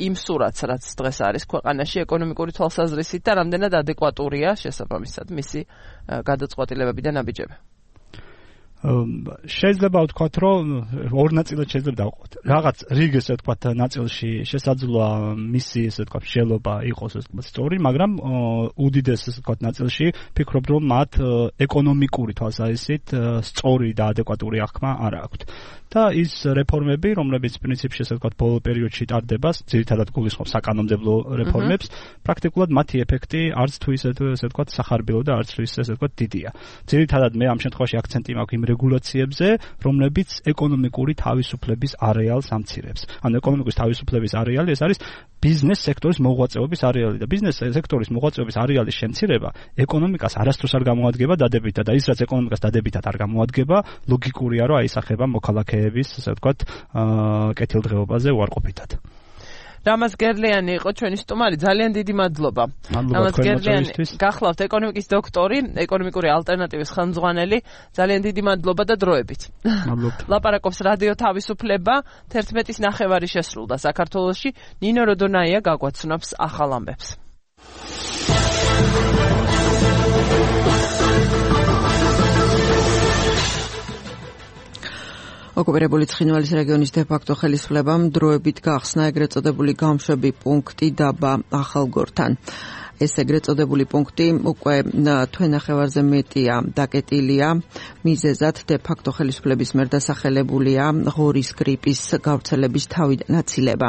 იმ სურათს, რაც დღეს არის ქვეყანაში ეკონომიკური თვალსაზრისით და რამდენად ადეკვატურია შესაბამისად მისი გადაწყვეტილებები და ნაბიჯები. შეიძლება ვთქვათ, რომ ორ ნაწილად შეიძლება დავყოთ. რაღაც რიგ ესე ვთქვათ ნაწილში შესაძლოა მისი ესე ვთქვათ შელობა იყოს ესე ვთქვათ სწორი, მაგრამ უდიდეს ესე ვთქვათ ნაწილში ფიქრობ, რომ მათ ეკონომიკური თვალსაზრისით სწორი და ადეკვატური აღქმა არ აქვთ. და ის რეფორმები, რომლებიც პრინციპში ესე ვთქვათ ბოლო პერიოდში ტარდება, ძირითადად გულისხმობს საკანონმდებლო რეფორმებს, პრაქტიკულად მათი ეფექტი არც თუ ისე ესე ვთქვათ სახარბილო და არც თუ ისე ესე ვთქვათ დიდია. ძირითადად მე ამ შემთხვევაში აქცენტი მაქვს იმ რეგულაციებზე, რომლებიც ეკონომიკური თავისუფლების არეალს ამცირებს. ანუ ეკონომიკის თავისუფლების არეალი ეს არის ბიზნეს სექტორის მოღვაწეობის არეალი და ბიზნეს სექტორის მოღვაწეობის არეალის შემცირება ეკონომიკას არასდროს არ გამოადგება დადებითად და ის რაც ეკონომიკას დადებითად არ გამოადგება, ლოგიკურია რომ აისახება მოქალაქეების, ასე ვთქვათ, კეთილდღეობაზე უარყოფითად. რამაზ გერლიანი იყო ჩვენი სტუმარი, ძალიან დიდი მადლობა. რამაზ გერლიანი გახლავთ ეკონომიკის დოქტორი, ეკონომიკური ალტერნატივის ხელმძღვანელი, ძალიან დიდი მადლობა და დროებით. მადლობთ. ლაპარაკობს რადიო თავისუფლება, თერთმეტის ნახევარი შესრულდა საქართველოში, ნინო როდონაია გაგვაცნობს ახალ ამბებს. ოკუპირებული ცხინვალის რეგიონის დე-ფაქტო ხელისუფლებამ დროებით გახსნა ეგრეთ წოდებული გამშვები პუნქტი დაბა ახალგორთან. ეს ეგრეთ წოდებული პუნქტი უკვე თვენახევარზე მეტია დაკეტილია, მიზეზად დე-ფაქტო ხელისუფლების მიერ დასახელებულია ღორის გრიპის გავრცელების თავიდან აცილება.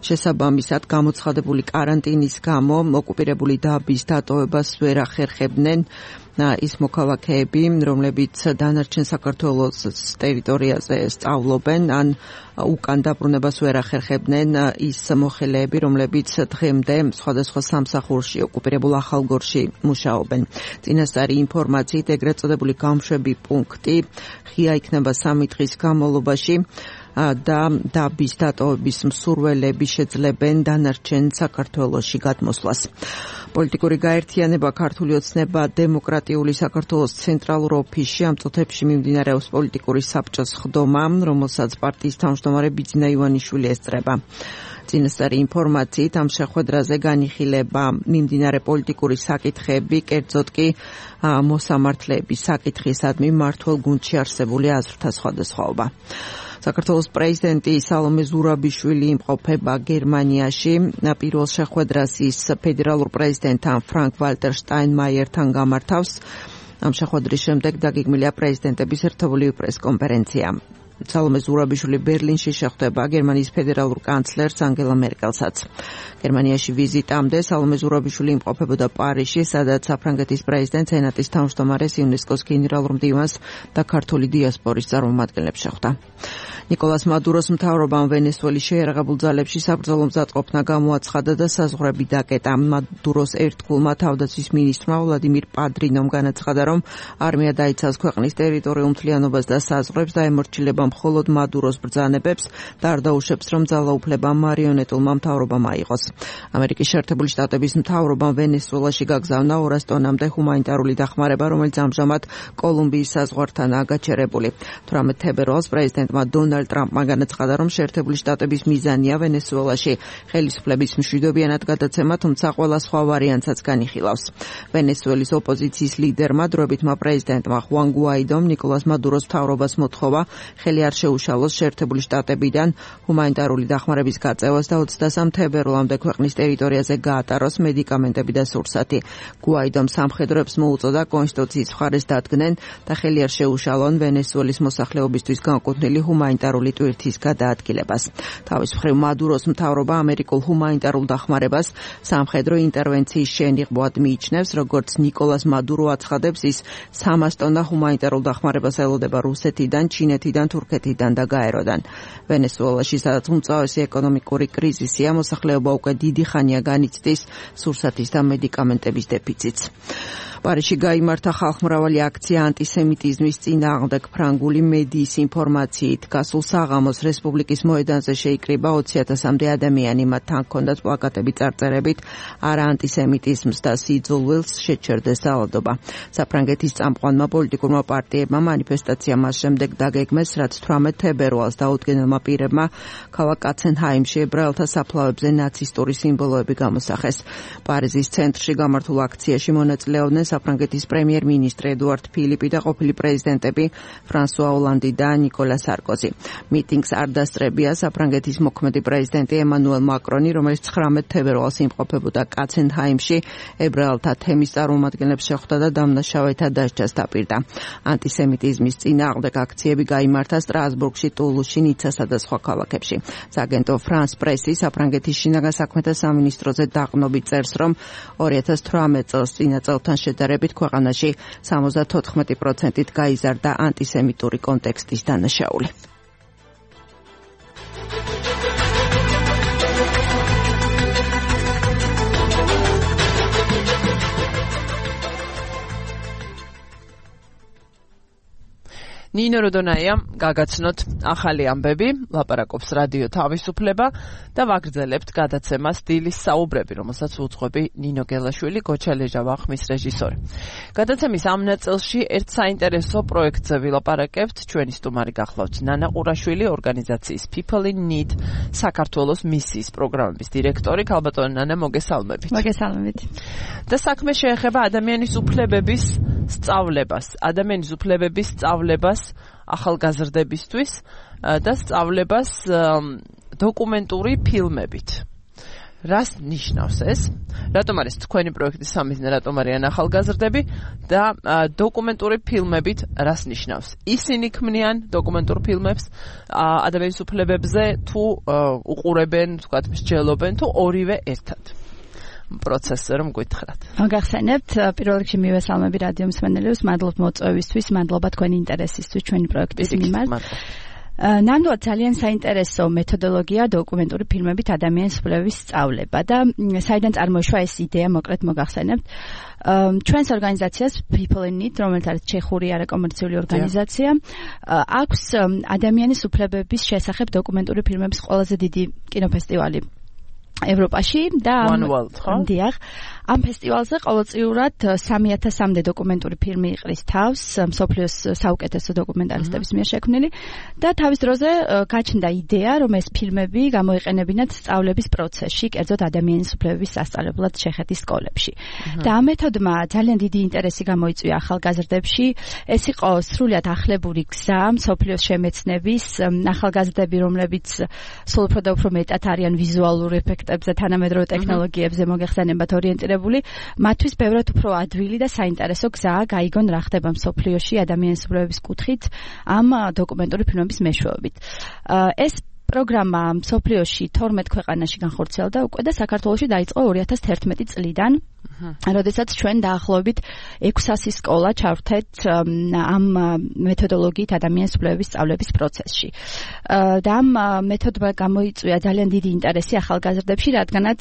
შესაბამისად, გამოცხადებული კარანტინის გამო ოკუპირებული დაბის დატოვებას ვერ ახერხებდნენ ის მოქალაქეები, რომლებიც დანარჩენ საქართველოს ტერიტორიაზე სწავლობენ, ან უკან დაბრუნებას ვერ ახერხებდნენ ის მოხელეები, რომლებიც დღემდე სხვადასხვა სამსახურში ოკუპირებულ ახალგორში მუშაობენ. წინასწარი ინფორმაციით ეგრეთ წოდებული გამშვები პუნქტი ღია იქნება სამი დღის განმავლობაში და დაბის დატოვების მსურველები შეძლებენ დანარჩენ საქართველოში გადმოსვლას. პოლიტიკური გაერთიანება ქართული ოცნება დემოკრატიული საქართველოს ცენტრალურ ოფისში ამ წუთებში მიმდინარეობს პოლიტიკური საბჭოს ხდომა, რომელსაც პარტიის თავმჯდომარე ბიძინა ივანიშვილი ესწრება. წინასწარი ინფორმაციით ამ შეხვედრაზე განიხილება მიმდინარე პოლიტიკური საკითხები, კერძოდ კი მოსამართლეების საკითხისადმი მმართველ გუნდში არსებული აზრთა სხვადასხვაობა. საქართველოს პრეზიდენტი სალომე ზურაბიშვილი იმყოფება გერმანიაში. პირველ შეხვედრას ის ფედერალურ პრეზიდენტთან ფრანკ ვალტერ შტაინმაიერთან გამართავს. ამ შეხვედრის შემდეგ დაგეგმილია პრეზიდენტების ერთობლივი პრესკონფერენცია. სალომე ზურაბიშვილი ბერლინში შეხვდება გერმანიის ფედერალურ კანცლერს ანგელა მერკელსაც. გერმანიაში ვიზიტამდე სალომე ზურაბიშვილი იმყოფებოდა პარიზში, სადაც საფრანგეთის პრეზიდენტ სენატის თავმჯდომარეს იუნესკოს გენერალურ მდივანს და ქართული დიასპორის წარმომადგენლებს შეხვდა. ნიკოლას მადუროს მთავრობამ ვენესუელის შეიარაღებულ ძალებში საბრძოლო მზადყოფნა გამოაცხადა და საზღვრები დაკეტა. მადუროს ერთგულმა თავდაცვის მინისტრმა ვლადიმირ პადრინომ განაცხადა, რომ არმია დაიცავს ქვეყნის ტერიტორიულ მთლიანობას და საზღვრებს და ემორჩილება მხოლოდ მადუროს ბრძანებებს და არ დაუშვებს, რომ ძალაუფლება მარიონეტულმა მთავრობამ აიღოს. ამერიკის შეერთებული შტატების მთავრობამ ვენესუელაში გაგზავნა ორას ტონამდე ჰუმანიტარული დახმარება, რომელიც ამჟამად კოლუმბიის საზღვართანაა გაჩერებული. თვრამეტ თებერვალს პრეზიდენტმა დონალდ ტრამპმა განაცხადა, რომ შეერთებული შტატების მიზანია ვენესუელაში ხელისუფლების მშვიდობიანად გადაცემა, თუმცა ყველა სხვა ვარიანტსაც განიხილავს. ვენესუელის ოპოზიციის ლიდერმა დროებითმა პრეზიდენტმა ხუან გუაიდომ ნიკოლას მადუროს მთავრობას მოთხოვა ხელი არ შეუშალოს შეერთებული შტატებიდან ჰუმანიტარული დახმარების გაწევას და ოცდასამ თებერვლამდე ქვეყნის ტერიტორიაზე გაატაროს მედიკამენტები და სურსათი. გუაიდომ სამხედროებს მოუწოდა კონსტიტუციის მხარეს დადგნენ და ხელი არ შეუშალონ ვენესუელის მოსახლეობისთვის განკუთვნილი ჰუმანიტარული ტვირთის გადაადგილებას. თავის მხრივ მადუროს მთავრობა ამერიკულ ჰუმანიტარულ დახმარებას სამხედრო ინტერვენციის შენიღბად მიიჩნევს, როგორც ნიკოლას მადურო აცხადებს, ის სამას ტონა ჰუმანიტარულ დახმარებას ელოდება რუსეთიდან, ჩინეთიდან, თურქეთიდან და გაეროდან. ვენესუელაში, სადაც უმწავესი ეკონომიკური კრიზისია, მოსახლეობა უკვე დიდი ხანია განიცდის სურსათის და მედიკამენტების დეფიციტს. პარიზში გაიმართა ხალხმრავალი აქცია ანტისემიტიზმის წინააღმდეგ. ფრანგული მედიის ინფორმაციით გასულ საღამოს რესპუბლიკის მოედანზე შეიკრიბა ოცი ათასამდე ადამიანი. მათთან ჰქონდათ პლაკატები წარწერებით არა ანტისემიტიზმს და სიძულვილს შეჩერდეს ძალადობა. საფრანგეთის წამყვანმა პოლიტიკურმა პარტიებმა მანიფესტაცია მას შემდეგ დაგეგმეს, რაც თვრამეტ თებერვალს დაუდგენელმა პირებმა ქალაქ კაცენჰაიმში ებრაელთა საფლავებზე ნაცისტური სიმბოლოები გამოსახეს. პარიზის ცენტრში გამართულ აქციაში მონაწილეობდნენ საფრანგეთის პრემიერ-მინისტრი ედუარდ ფილიპი და ყოფილი პრეზიდენტები ფრანსუა ოლანდი და ნიკოლა სარკოზი. მიტინგს არ დასწრებია საფრანგეთის მოქმედი პრეზიდენტი ემანუელ მაკრონი, რომელიც ცხრამეტ თებერვალს იმყოფებოდა კაცენჰაიმში, ებრაელთა თემის წარმომადგენლებს შეხვდა და დამნაშავეთა დასჯას დაპირდა. ანტისემიტიზმის წინააღმდეგ აქციები გაიმართა სტრასბურგში, ტულუსში, ნიცასა და სხვა ქალაქებში. სააგენტო ფრანს პრესი საფრანგეთის შინაგან საქმეთა სამინისტროზე დაყრდნობით წერს, რომ ორი ათას თვრამეტ წელს წინა წელთან შედარებით ქვეყანაში სამოცდათოთხმეტი პროცენტით გაიზარდა ანტისემიტური კონტექსტის დანაშაული. ნინო როდონაია გაგაცნოთ ახალი ამბები, ლაპარაკობს რადიო თავისუფლება და ვაგრძელებთ გადაცემას დილის საუბრები, რომელსაც უძღვები ნინო გელაშვილი, გოჩალეჟა ვახმის რეჟისორი. გადაცემის ამ ნაწილში ერთ საინტერესო პროექტზე ვილაპარაკებთ. ჩვენი სტუმარი გახლავთ ნანა ყურაშვილი, ორგანიზაციის People in Need საქართველოს მისიის პროგრამების დირექტორი. ქალბატონო ნანა, მოგესალმებით. მოგესალმებით. და საქმე შეეხება ადამიანის უფლებების სწავლებას, ადამიანის უფლებების სწავლებას ახალგაზრდებისთვის და სწავლებას დოკუმენტური ფილმებით. რას ნიშნავს ეს? რატომ არის თქვენი პროექტის სამიზნე, რატომ არიან ახალგაზრდები და დოკუმენტური ფილმებით რას ნიშნავს? ისინი ქმნიან დოკუმენტურ ფილმებს ადამიანის უფლებებზე თუ უყურებენ, თქვათ, მსჯელობენ თუ ორივე ერთად? პროცესზე რომ გითხრათ. მოგახსენებთ, პირველ რიგში მივესალმები რადიო მსმენელებს, მადლობ მოწვევისთვის, მადლობა თქვენი ინტერესისთვის ჩვენი პროექტის მიმართ. ნამდვილად ძალიან საინტერესო მეთოდოლოგია დოკუმენტური ფილმებით ადამიანის უფლებების სწავლება და საიდან წარმოიშვა ეს იდეა, მოკლედ მოგახსენებთ. ჩვენს ორგანიზაციას People in Need, რომელიც არის ჩეხური არაკომერციული ორგანიზაცია, აქვს ადამიანის უფლებების შესახებ დოკუმენტური ფილმების ყველაზე დიდი კინოფესტივალი ევროპაში და დიახ, ამ ფესტივალზე ყოველწლიურად სამი ათასამდე დოკუმენტური ფილმი იყრის თავს მსოფლიოს საუკეთესო დოკუმენტარისტების მიერ შექმნილი და თავის დროზე გაჩნდა იდეა, რომ ეს ფილმები გამოიყენებინათ სწავლების პროცესში, კერძოდ ადამიანის უფლებების სასწავლებლად ჩეხეთის სკოლებში. და ამ მეთოდმა ძალიან დიდი ინტერესი გამოიწვია ახალგაზრდებში. ეს იყო სრულიად ახლებური გზა მსოფლიოს შემეცნების, ახალგაზრდები, რომლებიც სულ უფრო და უფრო მეტად არიან ვიზუალურ ეფექტებზე, თანამედროვე ტექნოლოგიებზე მოგეხსენებათ ორიენტირებული, მათთვის ბევრად უფრო ადვილი და საინტერესო გზაა გაიგონ რა ხდება მსოფლიოში ადამიანის უფლებების კუთხით ამ დოკუმენტური ფილმების მეშვეობით. ეს პროგრამა მსოფლიოში თორმეტ ქვეყანაში განხორციელდა უკვე და საქართველოში დაიწყო ორი ათას თერთმეტი წლიდან, როდესაც ჩვენ დაახლოებით ექვსასი სკოლა ჩავრთეთ ამ მეთოდოლოგიით ადამიანის უფლებების სწავლების პროცესში. და ამ მეთოდმა გამოიწვია ძალიან დიდი ინტერესი ახალგაზრდებში, რადგანაც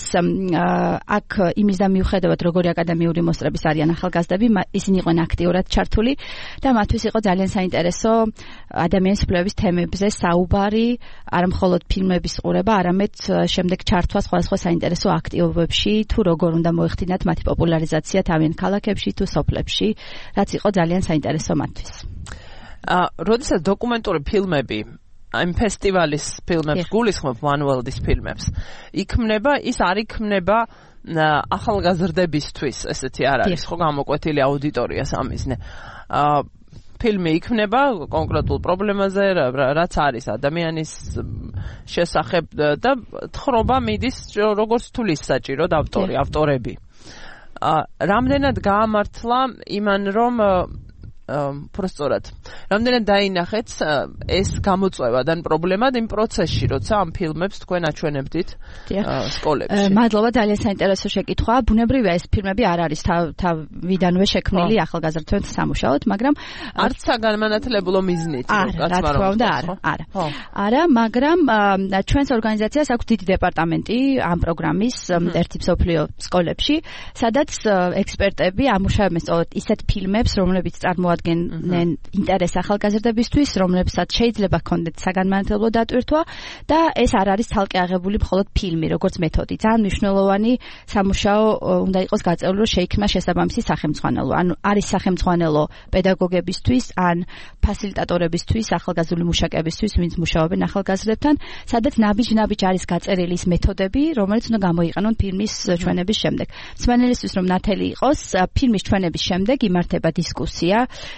აქ იმის და მიუხედავად როგორი აკადემიური მოსწრების არიან ახალგაზრდები, ისინი იყვნენ აქტიურად ჩართული და მათთვის იყო ძალიან საინტერესო ადამიანის უფლებების თემებზე საუბარი, არა მხოლოდ ფილმების ყურება, არამედ შემდეგ ჩართვა სხვადასხვა საინტერესო აქტივობებში, თუ როგორ უნდა მოეხდინათ მათი პოპულარიზაცია თავიანთ ქალაქებში თუ სოფლებში, რაც იყო ძალიან საინტერესო მათთვის. აა, როდესაც დოკუმენტური ფილმები ამ ფესტივალის ფილმებს გულისხმობ მანუელდის ფილმებს, იქმნება, ის არ იქმნება ახალგაზრდებისთვის, ესეთი არ არის, ხო, გამოკვეთილი აუდიტორია სამიზნე. აა ფილმი იქნება კონკრეტულ პრობლემაზე, რაც არის ადამიანის შესახებ და თხრობა მიდის როგორც თulis საჭირო ავტორი, ავტორები. რამდენად გაამართლა იმან, რომ პროსტორად. რამდენად დაინახეთ ეს გამოწვევა და პრობლემა იმ პროცესში, როცა ამ ფილმებს თქვენ აჩვენებდით სკოლებში. მადლობა, ძალიან საინტერესო შეკითხვა. ბუნებრივია ეს ფილმები არ არის თავიდანვე შექმნილი ახალგაზრდებთან სამუშაოდ, მაგრამ არც საგანმანათლებლო მიზნით, რა თქმა უნდა, არა, არა. არა, მაგრამ ჩვენს ორგანიზაციას აქვს დიდი დეპარტამენტი ამ პროგრამის ერთი მსოფლიო სკოლებში, სადაც ექსპერტები ამუშავებენ სწორედ ისეთ ფილმებს, რომლებიც წარმოადგენენ ინტერესს ახალგაზრდებისთვის, რომლებსაც შეიძლება ჰქონდეთ საგანმანათლებლო დატვირთვა და ეს არ არის ცალკე აღებული მხოლოდ ფილმი, როგორც მეთოდი. ძალიან მნიშვნელოვანი სამუშაო უნდა იყოს გაწეული, რომ შეიქმნა შესაბამისი სახელმძღვანელო. ანუ არის სახელმძღვანელო პედაგოგებისთვის, ან ფასილიტატორებისთვის, ახალგაზრდული მუშაკებისთვის, ვინც მუშაობენ ახალგაზრდებთან, სადაც ნაბიჯ-ნაბიჯ არის გაწერილი ის მეთოდები, რომელიც უნდა გამოიყენონ ფილმის ჩვენების შემდეგ. მსმენელისთვის რომ ნათელი იყოს, ფილმის ჩვენების შემდეგ იმართება დისკუსია,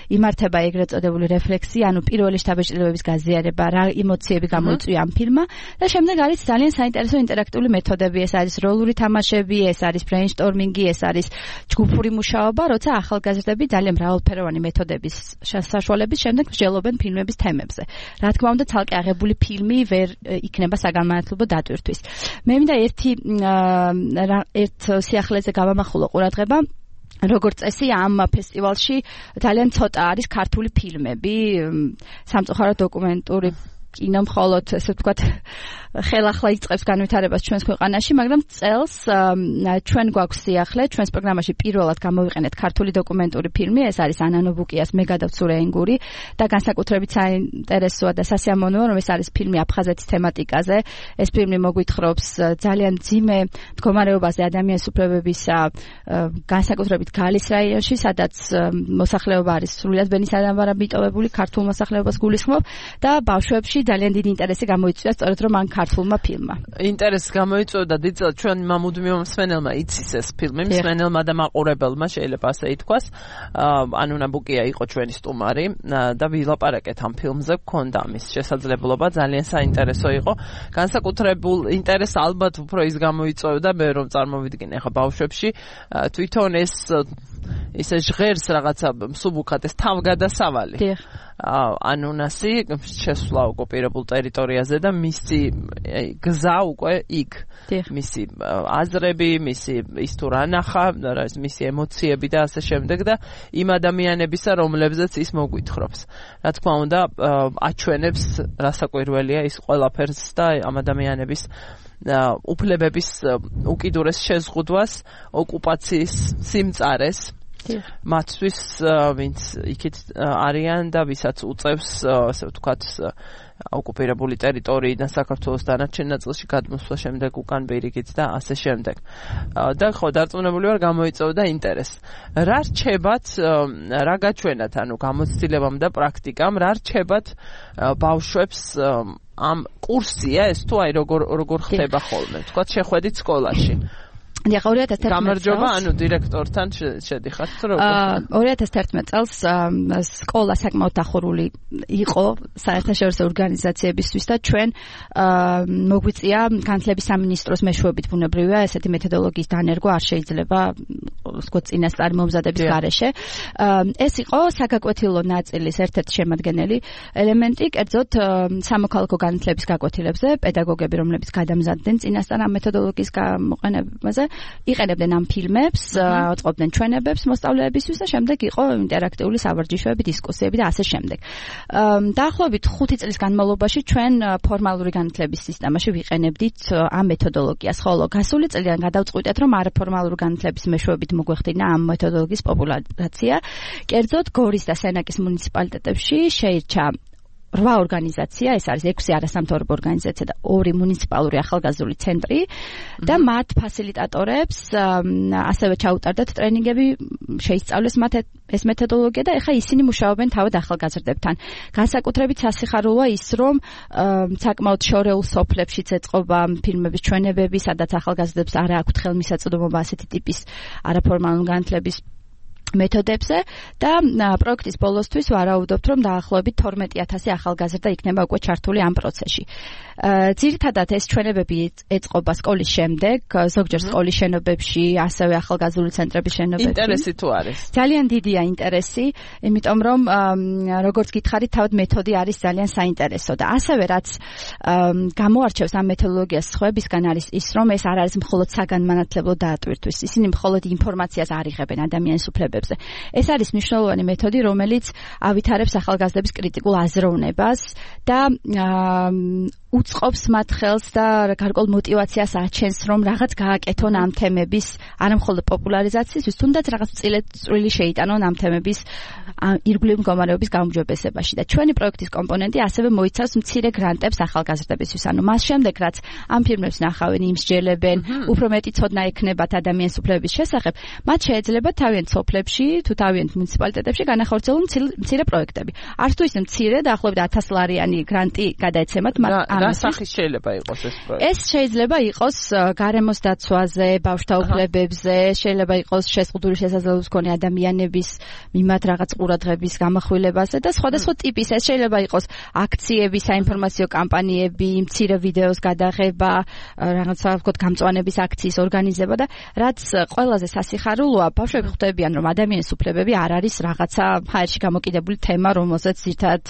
იმართება ეგრეთ წოდებული რეფლექსია, ანუ პირველი შთაბეჭდილებების გაზიარება, რა ემოციები გამოიწვია ამ ფილმმა და შემდეგ არის ძალიან საინტერესო ინტერაქტიული მეთოდები, ეს არის როლური თამაშები, ეს არის ბრეინსტორმინგი, ეს არის ჯგუფური მუშაობა, როცა ახალგაზრდები ძალიან მრავალფეროვანი მეთოდების საშუალებით შემდეგ მსჯელობენ ფილმების თემებზე. რა თქმა უნდა, ცალკე აღებული ფილმი ვერ იქნება საგანმანათლებლო დატვირთვის. მე მინდა ერთი ერთ სიახლეზე გავამახვილო ყურადღება. როგორც წესი ამ ფესტივალში ძალიან ცოტა არის ქართული ფილმები, სამწუხაროდ დოკუმენტური კინო მხოლოდ ესე ვთქვათ ხელახლა იწყებს განვითარებას ჩვენს ქვეყანაში, მაგრამ წელს ჩვენ გვაქვს სიახლე, ჩვენს პროგრამაში პირველად გამოვიყენეთ ქართული დოკუმენტური ფილმი, ეს არის ანანო ბუკიას მე გადავცურე ენგური და განსაკუთრებით საინტერესოა და სასიამოვნოა, რომ ეს არის ფილმი აფხაზეთის თემატიკაზე. ეს ფილმი მოგვითხრობს ძალიან ძიმე მდგომარეობაზე ადამიანის უფლებებისა, განსაკუთრებით გალის რაიონში, სადაც მოსახლეობა არის სრულიად ბენისადამბარა მიტოვებული, ქართულ მოსახლეობას გულისხმობ და ბავშვებში ძალიან დიდი ინტერესი გამოიწვია სწორედ რომ ამ ქართულმა ფილმმა. ინტერესი გამოიწვევდა დიდწილად ჩვენ მამუდმივ მსმენელმა იცის ეს ფილმი, მსმენელმა და მაყურებელმა შეიძლება ასე ითქვას. ანუ ნაბუკია იყო ჩვენი სტუმარი და ვილაპარაკეთ ამ ფილმზე, გქონდა ამის შესაძლებლობა, ძალიან საინტერესო იყო. განსაკუთრებულ ინტერესს ალბათ უფრო ის გამოიწვევდა, მე რომ წარმოვიდგინე ხა ბავშვებში, თვითონ ეს ისე ჟღერს რაღაცა მსუბუქად ეს თავგადასავალი. დიახ. ანუნასი შესვლა ოკუპირებულ ტერიტორიაზე და მისი გზა უკვე იქ. მისი აზრები, მისი ის თუ რა ნახა, მისი ემოციები და ასე შემდეგ და იმ ადამიანებისა, რომლებზეც ის მოგვითხრობს. რა თქმა უნდა, აჩვენებს რასაკვირველია ის ყველაფერს და ამ ადამიანების უფლებების უკიდურეს შეზღუდვას, ოკუპაციის სიმწარეს. მათთვის ვინც იქით არიან და ვისაც უწევს ასე ვთქვათ ოკუპირებული ტერიტორიიდან საქართველოს დანარჩენ ნაწილში გადმოსვლა შემდეგ უკან ბირიგით და ასე შემდეგ. და ხო დარწმუნებული ვარ გამოიწვევდა ინტერესს. რა რჩებათ, რა გაჩვენათ, ანუ გამოცდილებამ და პრაქტიკამ, რა რჩებათ ბავშვებს ამ კურსია ეს თუ აი როგორ როგორ ხდება ხოლმე, ვთქვათ შეხვედით სკოლაში. დიახ, ორი ათას თერთმეტ წელს გამარჯობა, ანუ დირექტორთან შედიხართ როგორ? ორი ათას თერთმეტ წელს სკოლა საკმაოდ დახურული იყო საერთაშორისო ორგანიზაციებისთვის და ჩვენ მოგვიწია განათლების სამინისტროს მეშვეობით ბუნებრივია ესეთი მეთოდოლოგიის დანერგვა არ შეიძლება ვთქვათ წინასწარი მომზადების გარეშე. ეს იყო საგაკვეთილო ნაწილის ერთ-ერთი შემადგენელი ელემენტი, კერძოდ სამოქალაქო განათლების გაკვეთილებზე პედაგოგები, რომლებიც გადამზადდნენ წინასწარ ამ მეთოდოლოგიის გამოყენებაზე, იყენებდნენ ამ ფილმებს, აწყობდნენ ჩვენებებს მოსწავლეებისთვის და შემდეგ იყო ინტერაქტიული სავარჯიშოები, დისკუსიები და ასე შემდეგ. დაახლოებით ხუთი წლის განმავლობაში ჩვენ ფორმალური განათლების სისტემაში ვიყენებდით ამ მეთოდოლოგიას, ხოლო გასული წლიდან გადავწყვიტეთ, რომ არაფორმალური განათლების მეშვეობით მოგვეხდინა ამ მეთოდოლოგიის პოპულარიზაცია. კერძოდ გორის და სენაკის მუნიციპალიტეტებში შეირჩა რვა ორგანიზაცია, ეს არის ექვსი არასამთავრობო ორგანიზაცია და ორი მუნიციპალური ახალგაზრდული ცენტრი და მათ ფასილიტატორებს ასევე ჩაუტარდათ ტრენინგები, შეისწავლეს მათ ეს მეთოდოლოგია და ეხლა ისინი მუშაობენ თავად ახალგაზრდებთან. განსაკუთრებით სასიხარულოა ის, რომ საკმაოდ შორეულ სოფლებშიც ეწყობა ფილმების ჩვენებები, სადაც ახალგაზრდებს არა აქვთ ხელმისაწვდომობა ასეთი ტიპის არაფორმალური განათლების მეთოდებზე და პროექტის ბოლოსთვის ვარაუდობთ, რომ დაახლოებით თორმეტი ათასი ახალგაზრდა იქნება უკვე ჩართული ამ პროცესში. ძირითადად ეს ჩვენებები ეწყობა სკოლის შემდეგ, ზოგჯერ სკოლის შენობებში, ასევე ახალგაზრდული ცენტრების შენობებში. ინტერესი თუ არის? ძალიან დიდია ინტერესი, იმიტომ რომ როგორც გითხარით, თავად მეთოდი არის ძალიან საინტერესო და ასევე რაც გამოარჩევს ამ მეთოდოლოგიას სხვებისგან არის ის, რომ ეს არ არის მხოლოდ საგანმანათლებლო დაატვირთვის. ისინი მხოლოდ ინფორმაციას არ იღებენ ადამიანის უფლებებზე. ეს არის მნიშვნელოვანი მეთოდი, რომელიც ავითარებს ახალგაზრდების კრიტიკულ აზროვნებას და უწყობს მათ ხელს და გარკვეულ მოტივაციას აჩენს, რომ რაღაც გააკეთონ ამ თემების, არა მხოლოდ პოპულარიზაციისთვის, თუნდაც რაღაც წვლილი შეიტანონ ამ თემების ირგვლივ მდგომარეობის გაუმჯობესებაში. და ჩვენი პროექტის კომპონენტი ასევე მოიცავს მცირე გრანტებს ახალგაზრდებისთვის. ანუ მას შემდეგ, რაც ამ ფილმებს ნახავენ, იმსჯელებენ, უფრო მეტი ცოდნა ექნებათ ადამიანის უფლებების შესახებ, მათ შეიძლება თავიანთ სოფლებში, თუ თავიანთ მუნიციპალიტეტებში განახორციელონ მცირე პროექტები. არც თუ ისე მცირე, დაახლოებით ათას ლარიანი გრანტი გადაეცემათ მათ. რა სახის შეიძლება იყოს ეს პროექტი? ეს შეიძლება იყოს გარემოს დაცვაზე, ბავშვთა უფლებებზე, შეიძლება იყოს შეზღუდული შესაძლებლობის მქონე ადამიანების მიმართ რაღაც ყურადღების გამახვილებაზე და სხვადასხვა ტიპის. ეს შეიძლება იყოს აქციები, საინფორმაციო კამპანიები, მცირე ვიდეოს გადაღება, რაღაცა ვთქვათ გამწვანების აქციის ორგანიზება და რაც ყველაზე სასიხარულოა, ბავშვები ხვდებიან, რომ ადამიანის უფლებები არ არის რაღაცა ჰაერში გამოკიდებული თემა, რომელზეც ერთად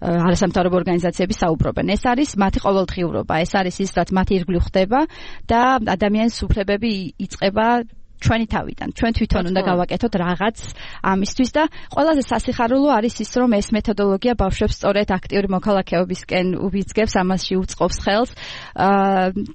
არასამთავრობო ორგანიზაციები საუბრობენ. ეს არის მათი ყოველდღიურობა, ეს არის ის, რაც მათი ირგვლივ ხდება და ადამიანის უფლებები იწყება ჩვენი თავიდან. ჩვენ თვითონ უნდა გავაკეთოთ რაღაც ამისთვის და ყველაზე სასიხარულო არის ის, რომ ეს მეთოდოლოგია ბავშვებს სწორედ აქტიური მოქალაქეობისკენ უბიძგებს, ამასში უწყობს ხელს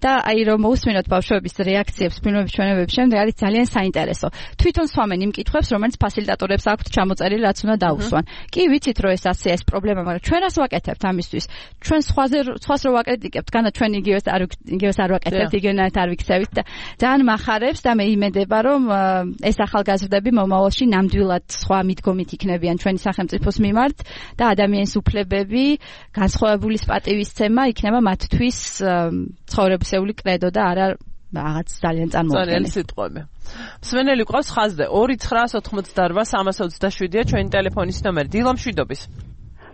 და აი რომ მოусმინოთ ბავშვების რეაქციებს ფილმების ჩვენებების შემდეგ არის ძალიან საინტერესო. თვითონ სვამენ იმ კითხვებს, რომელიც ფასილიტატორებს აქვთ ჩამოწერილი, რაც უნდა დაუსვან. კი, ვიცით რომ ეს ასე ეს პრობლემა, მაგრამ ჩვენ რას ვაკეთებთ ამისთვის? ჩვენ სხვაზე სხვას რო ვაკრიტიკებთ, განა ჩვენ იგივეს არ იგივეს არ ვაკეთებთ, იგივენად არ ვიქცევით და ძალიან მახარებს და მე იმედებ რომ ეს ახალგაზრდები მომავალში ნამდვილად სხვა მიდგომით იქნებიან ჩვენი სახელმწიფოს მიმართ და ადამიანის უფლებები, განსხვავებულის პატივისცემა იქნება მათთვის ცხოვრებისეული კრედო და არა რაღაც ძალიან წარმოუდგენელი. ძალიან სიტყვები. მსმენელი ყავს ხაზზე ორი ცხრა ოთხმოცდაორვა სამას ოცდაშვიდია ჩვენი ტელეფონის ნომერი. დილა მშვიდობის.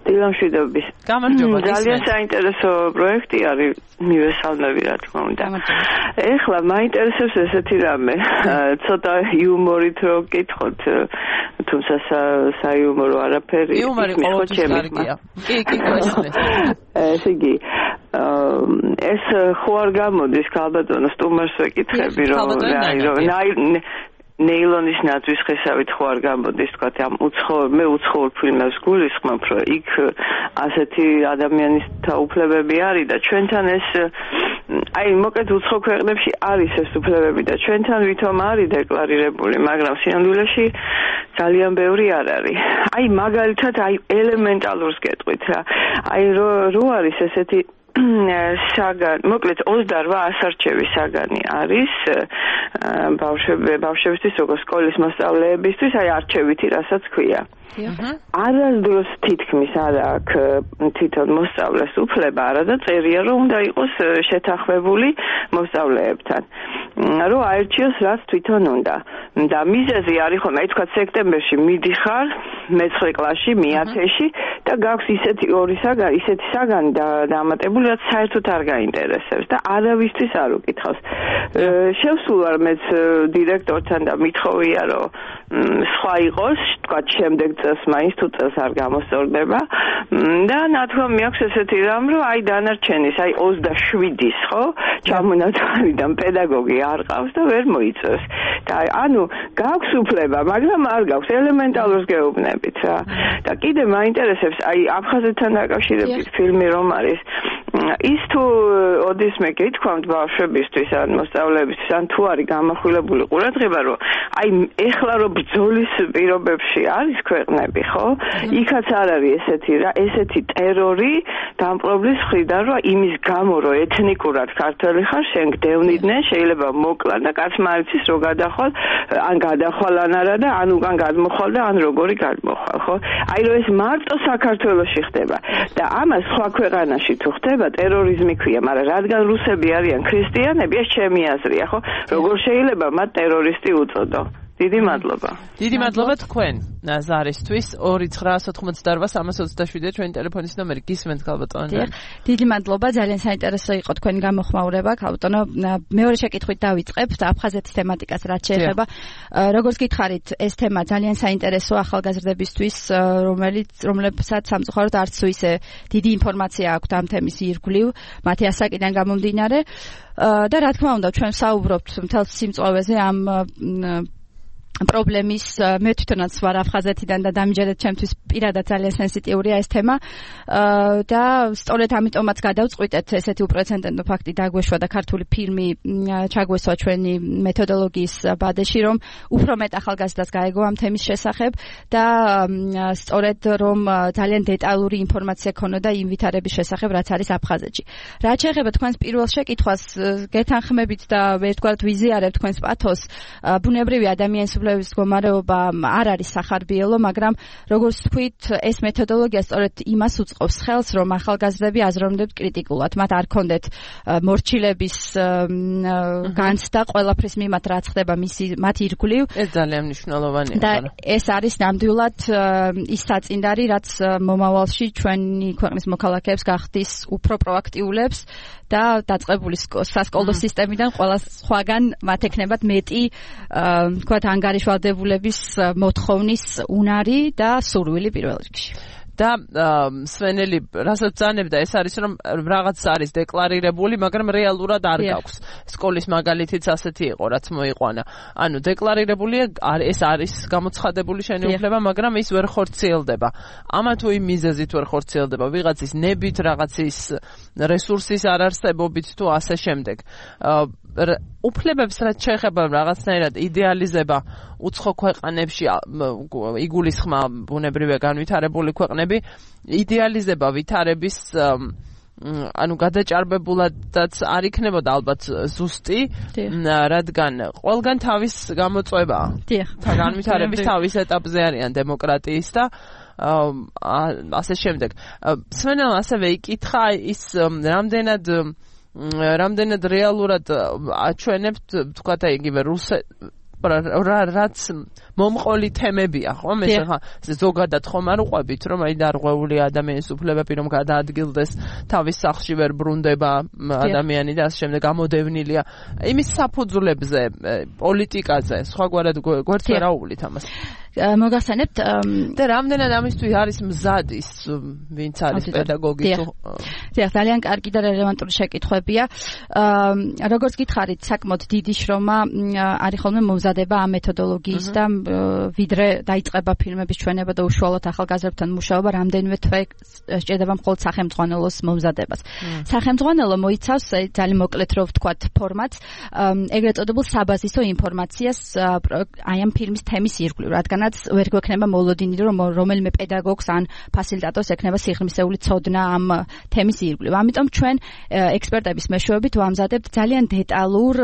დილა მშვიდობის. გამარჯობა. ძალიან საინტერესო პროექტი არის, მივესალმები რა თქმა უნდა. ეხლა მაინტერესებს ესეთი რამე, ცოტა იუმორით რო გკითხოთ, თუმცა საიუმორო არაფერი. იუმორი ყოველთვის კარგია. კი, კი, გასწრებს. ესე იგი, ეს ხო არ გამოდის ქალბატონო სტუმარს ვეკითხები რომ რომ ნეილონის ნაძვის ხესავით ხო არ გამოდის თქვა ამ უცხოურ მე უცხოურ ფილმებს გულისხმობ რომ იქ ასეთი ადამიანის უფლებები არის და ჩვენთან ეს აი მოკეთ უცხო ქვეყნებში არის ეს უფლებები და ჩვენთან ვითომ არის დეკლარირებული მაგრამ სინამდვილეში ძალიან ბევრი არ არის აი მაგალითად აი ელემენტალურს გეტყვით რა აი რო არის ესეთი საგან, მოკლედ ოცდაორვა ასარჩევი საგანი არის ბავშვები, ბავშვებისთვის როგორც სკოლის მოსწავლეებისთვის, აი არჩევითი, რასაც ქვია. არასდროს თითქმის არ აქვს თვითონ მოსწავლეს უფლება, არადა წერია, რომ უნდა იყოს შეთანხმებული მოსწავლეებთან. რომ აერჩიოს რაც თვითონ უნდა. და მიზეზი არის ხომ, აი თქვა სექტემბერში მიდიხარ მეცხრე კლასში, მეათეში და გაქვს ისეთი ორი საგანი, ისეთი საგანი დამატებული, რაც საერთოდ არ გაინტერესებს და არავისთვის არ უკითხავს. შევსულ ვარ მეც დირექტორთან და მithოვია, რომ სხვა იყოს, თქვა შემდეგ წელს მაინც თუ წელს არ გამოსწორდება და ნათქვამი აქვს ესეთი რამ, რომ აი დანარჩენის, აი ოცდაშვიდის, ხო? ჩამონათვალიდან პედაგოგი არ ყავს და ვერ მოიწევს. და ანუ გაქვს უფლება, მაგრამ არ გაქვს ელემენტალურს გეუბნებით რა. და კიდე მაინტერესებს, აი აფხაზეთთან დაკავშირებით ფილმი რომ არის ის თუ ოდის მე გითქვამთ ბავშვებისთვის ან მოსწავლეებისთვის ან თუ არის გამახვილებული ყურადღება რომ აი ეხლა რომ ბრძოლის პირობებში არის ქვეყნები ხო იქაც არ არის ესეთი რა ესეთი ტერორი დამპყრობლის მხრიდან რომ იმის გამო რომ ეთნიკურად ქართველი ხარ შენ გდევნიდნენ შეიძლება მოკლან და კაცმა არ იცის რო გადახვალ ან გადახვალ ან არა და ან უკან გადმოხვალ და ან როგორი გადმოხვალ ხო აი რომ ეს მარტო საქართველოში ხდება და ამას სხვა ქვეყანაში თუ ხდება ტერორიზმი ქვია, მაგრამ რადგან რუსები არიან ქრისტიანები, ეს ჩემი აზრია, ხო? როგორ შეიძლება მათ ტერორისტი უწოდო? დიდი მადლობა. დიდი მადლობა თქვენ ზარისთვის. ორი ცხრა ოთხმოცდაოთხ სამას ოცდაშვიდი ჩვენი ტელეფონის ნომერი გისმენთ ქალბატონო. დიდი მადლობა, ძალიან საინტერესო იყო თქვენი გამოხმაურება, ქალბატონო. მეორე შეკითხვით დავიწყებ აფხაზეთის თემატიკას, რაც შეეხება. როგორც გითხარით, ეს თემა ძალიან საინტერესო ახალგაზრდებისთვის, რომელიც რომლებსაც სამწუხაროდ არც თუ ისე დიდი ინფორმაცია აქვთ ამ თემის ირგვლივ, მათი ასაკიდან გამომდინარე. და რა თქმა უნდა, ჩვენ საუბრობთ მთელ სიმწვავეზე ამ პრობლემის მე თვითონაც ვარ აფხაზეთიდან და დამჯერეთ ჩემთვის პირადად ძალიან სენსიტიურია ეს თემა და სწორედ ამიტომაც გადავწყვიტეთ ესეთი უპრეცედენტო ფაქტი დაგვეშვა და ქართული ფილმი ჩაგვესვა ჩვენი მეთოდოლოგიის ბადეში რომ უფრო მეტ ახალგაზრდას გაეგო ამ თემის შესახებ და სწორედ რომ ძალიან დეტალური ინფორმაცია ქონოდა იმ ვითარების შესახებ რაც არის აფხაზეთში. რაც შეეხება თქვენს პირველ შეკითხვას გეთანხმებით და ერთგვარად ვიზიარებ თქვენს პათოს ბუნებრივი ადამიანის უფლებების მდგომარეობა არ არის სახარბიელო, მაგრამ როგორც თქვით, ეს მეთოდოლოგია სწორედ იმას უწყობს ხელს, რომ ახალგაზრდები აზროვნებდნენ კრიტიკულად, მათ არ ქონდეთ მორჩილების განცდა ყველაფრის მიმართ, რაც ხდება მისი მათ ირგვლივ. ეს ძალიან მნიშვნელოვანია. და ეს არის ნამდვილად ის საწინდარი, რაც მომავალში ჩვენი ქვეყნის მოქალაქეებს გახდის უფრო პროაქტიულებს და დაწყებული სასკოლო სისტემიდან ყველა სხვაგან მათ ექნებათ მეტი თქვათ ანგარიშვალდებულების მოთხოვნის უნარი და სურვილი პირველ რიგში. და სვენელი რასაც ბრძანებდა ეს არის რომ რაღაც არის დეკლარირებული, მაგრამ რეალურად არ გაქვს. სკოლის მაგალითიც ასეთი იყო, რაც მოიყვანა. ანუ დეკლარირებულია, ეს არის გამოცხადებული შენობლება, მაგრამ ის ვერ ხორციელდება. ამა თუ იმ მიზეზით ვერ ხორციელდება, ვიღაცის ნებით, რაღაცის რესურსის არარსებობით თუ ასე შემდეგ. უფლებებს რაც შეეხება რაღაცნაირად იდეალიზება უცხო ქვეყანებში იგულისხმა ბუნებრივია განვითარებული ქვეყნები იდეალიზება ვითარების ანუ გადაჭარბებულადაც არ იქნებოდა ალბათ ზუსტი, რადგან ყველგან თავის გამოწვევაა. თან განვითარების თავის ეტაპზე არიან დემოკრატიის და ასე შემდეგ. სვენელმა ასევე იკითხა ის რამდენად რამდენად რეალურად აჩვენებთ თქვათ იგივე რუსეთ რაც მომყოლი თემებია, ხო? მე ხა ზოგადად ხომ არ უყვებით, რომ აი დარღვეული ადამიანის უფლებები რომ გადაადგილდეს, თავის სახლში ვერ ბრუნდება ადამიანი და ასე შემდეგ გამოდევნილია. იმის საფუძვლებზე, პოლიტიკაზე, სხვაგვარად გვერდს ვერ აუვლით ამას. მოგახსენებთ და რამდენად ამისთვის არის მზად ის ვინც არის პედაგოგი თუ დიახ, ძალიან კარგი და რელევანტური შეკითხვებია. როგორც გითხარით, საკმაოდ დიდი შრომა არის ხოლმე მომზადება ამ მეთოდოლოგიის და ვიდრე დაიწყება ფილმების ჩვენება და უშუალოდ ახალგაზრდებთან მუშაობა, რამდენიმე თვე სჭირდება მხოლოდ სახელმძღვანელოს მომზადებას. სახელმძღვანელო მოიცავს ძალიან მოკლედ რო ვთქვათ ფორმატს, ეგრეთ წოდებულ საბაზისო ინფორმაციას აი ამ ფილმის თემის ირგვლივ, რადგან ვერ გვექნება მოლოდინი რომ რომელიმე პედაგოგს ან ფასილიტატორს ექნება სიღრმისეული ცოდნა ამ თემის ირგვლივ. ამიტომ ჩვენ ექსპერტების მეშვეობით ვამზადებთ ძალიან დეტალურ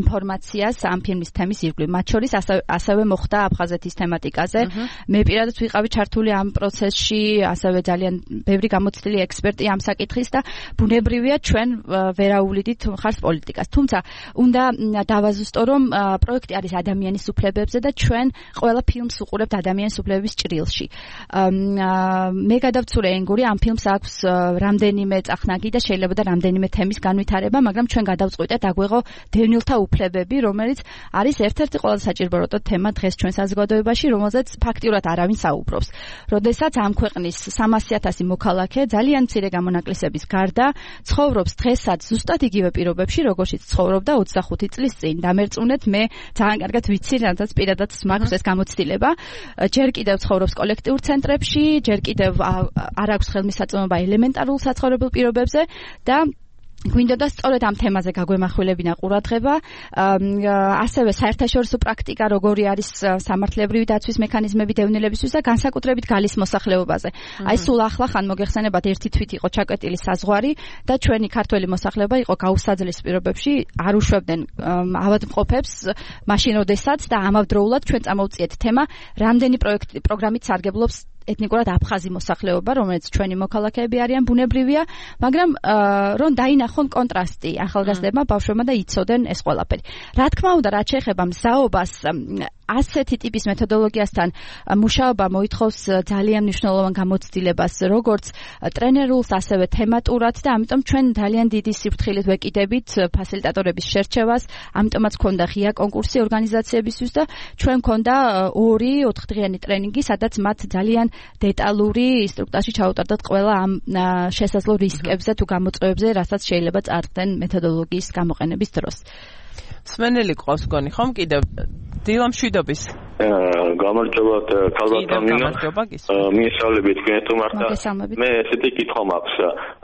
ინფორმაციას ამ ფილმის თემის ირგვლივ. მათ შორის ასევე მოხდა აფხაზეთის თემატიკაზე. მე პირადად ვიყავი ჩართული ამ პროცესში, ასევე ძალიან ბევრი გამოცდილი ექსპერტი ამ საკითხის და ბუნებრივია ჩვენ ვერაუვლიდით მხარს პოლიტიკას. თუმცა უნდა დავაზუსტო რომ პროექტი არის ადამიანის უფლებებზე და ჩვენ ყველა ფილმს უყურებთ ადამიანის უფლებების ჭრილში. მე გადავცურე ენგური ამ ფილმს აქვს რამდენიმე წახნაგი და შეიძლება და რამდენიმე თემის განვითარება, მაგრამ ჩვენ გადავწყვიტეთ აგვეღო დევნილთა უფლებები, რომელიც არის ერთ-ერთი ყველაზე საჭიროებო თემა დღეს ჩვენ საზოგადოებაში, რომელზეც ფაქტიურად არავინ საუბრობს. როდესაც ამ ქვეყნის სამასი ათასი მოქალაქე ძალიან მცირე გამონაკლისების გარდა ცხოვრობს დღესაც ზუსტად იგივე პირობებში, როგორშიც ცხოვრობდა ოცდახუთი წლის წინ. დამერწმუნეთ, მე ძალიან კარგად ვიცი, რადგან პირადად მაქვს ეს გამოცდილება. ჯერ კიდევ ცხოვრობს კოლექტიურ ცენტრებში, ჯერ კიდევ არ აქვს ხელმისაწვდომობა ელემენტარულ საცხოვრებელ პირობებზე და გვინდოდა სწორედ ამ თემაზე გაგვემახვილებინა ყურადღება. ასევე საერთაშორისო პრაქტიკა როგორი არის სამართლებრივი დაცვის მექანიზმები დევნილებისთვის და განსაკუთრებით გალის მოსახლეობაზე. აი სულ ახლა ხან მოგეხსენებათ ერთი თვით იყო ჩაკვეტილი საზღვარი და ჩვენი ქართველი მოსახლეობა იყო გაუსაძლის პირობებში, არ უშვებდნენ ავადმყოფებს მაშინ როდესაც და ამავდროულად ჩვენ წამოვწიეთ თემა რამდენი პროექტი პროგრამით სარგებლობს ეთნიკურად აფხაზი მოსახლეობა, რომელიც ჩვენი მოქალაქეები არიან, ბუნებრივია, მაგრამ რომ დაინახონ კონტრასტი ახალგაზრდებმა, ბავშვებმა და იცოდნენ ეს ყველაფერი. რა თქმა უნდა, რაც შეეხება მზაობას, ასეთი ტიპის მეთოდოლოგიასთან მუშაობა მოითხოვს ძალიან მნიშვნელოვან გამოცდილებას, როგორც ტრენერულს, ასევე თემატურად და ამიტომ ჩვენ ძალიან დიდი სიფრთხილით ვეკიდებით ფასილიტატორების შერჩევას, ამიტომაც ქონდა ღია კონკურსი ორგანიზაციებისთვის და ჩვენ ქონდა ორი ოთხდღიანი ტრენინგი, სადაც მათ ძალიან დეტალური ინსტრუქტორში ჩაუტარდათ ყველა ამ შესაძლო რისკებზე თუ გამოწვევებზე, რასაც შეიძლება წარდგენ მეთოდოლოგიის გამოყენების დროს. სმენელი ყავს გონი ხომ კიდევ დილა მშვიდობის გამარჯობათ ქალბატონო მიესალმებით თქვენ თუმცა მე ესეთი კითხვა მაქვს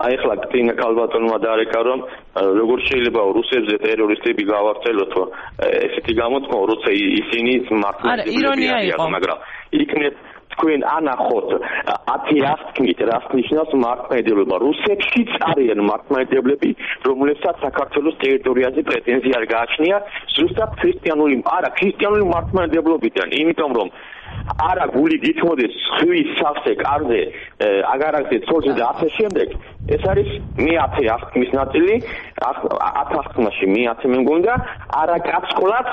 აი ახლა კტინა ქალბატონმა დაარეკა რომ როგორ შეიძლება რუსებზე ტერორისტები გავარცელოთ ესეთი გამოთქვა როცა ისინი მართლაც ირონია იყო მაგრამ იქნებ თქვენ ანახოთ ათი ასკნით რას ნიშნავს მართლმადიდებლობა რუსეთშიც არიან მართლმადიდებლები რომლებსაც საქართველოს ტერიტორიაზე პრეტენზია არ გააჩნია ზუსტად ქრისტიანული არა ქრისტიანული მართლმადიდებლობიდან იმიტომ რომ არა გული გითმოდეს ხვის სავსე კარზე აგარაკზე ცოლზე და ასე შემდეგ ეს არის მეათე ასკნის ნაწილი ათ ასკნაში მეათე მე მგონდა არა კაცკოლაც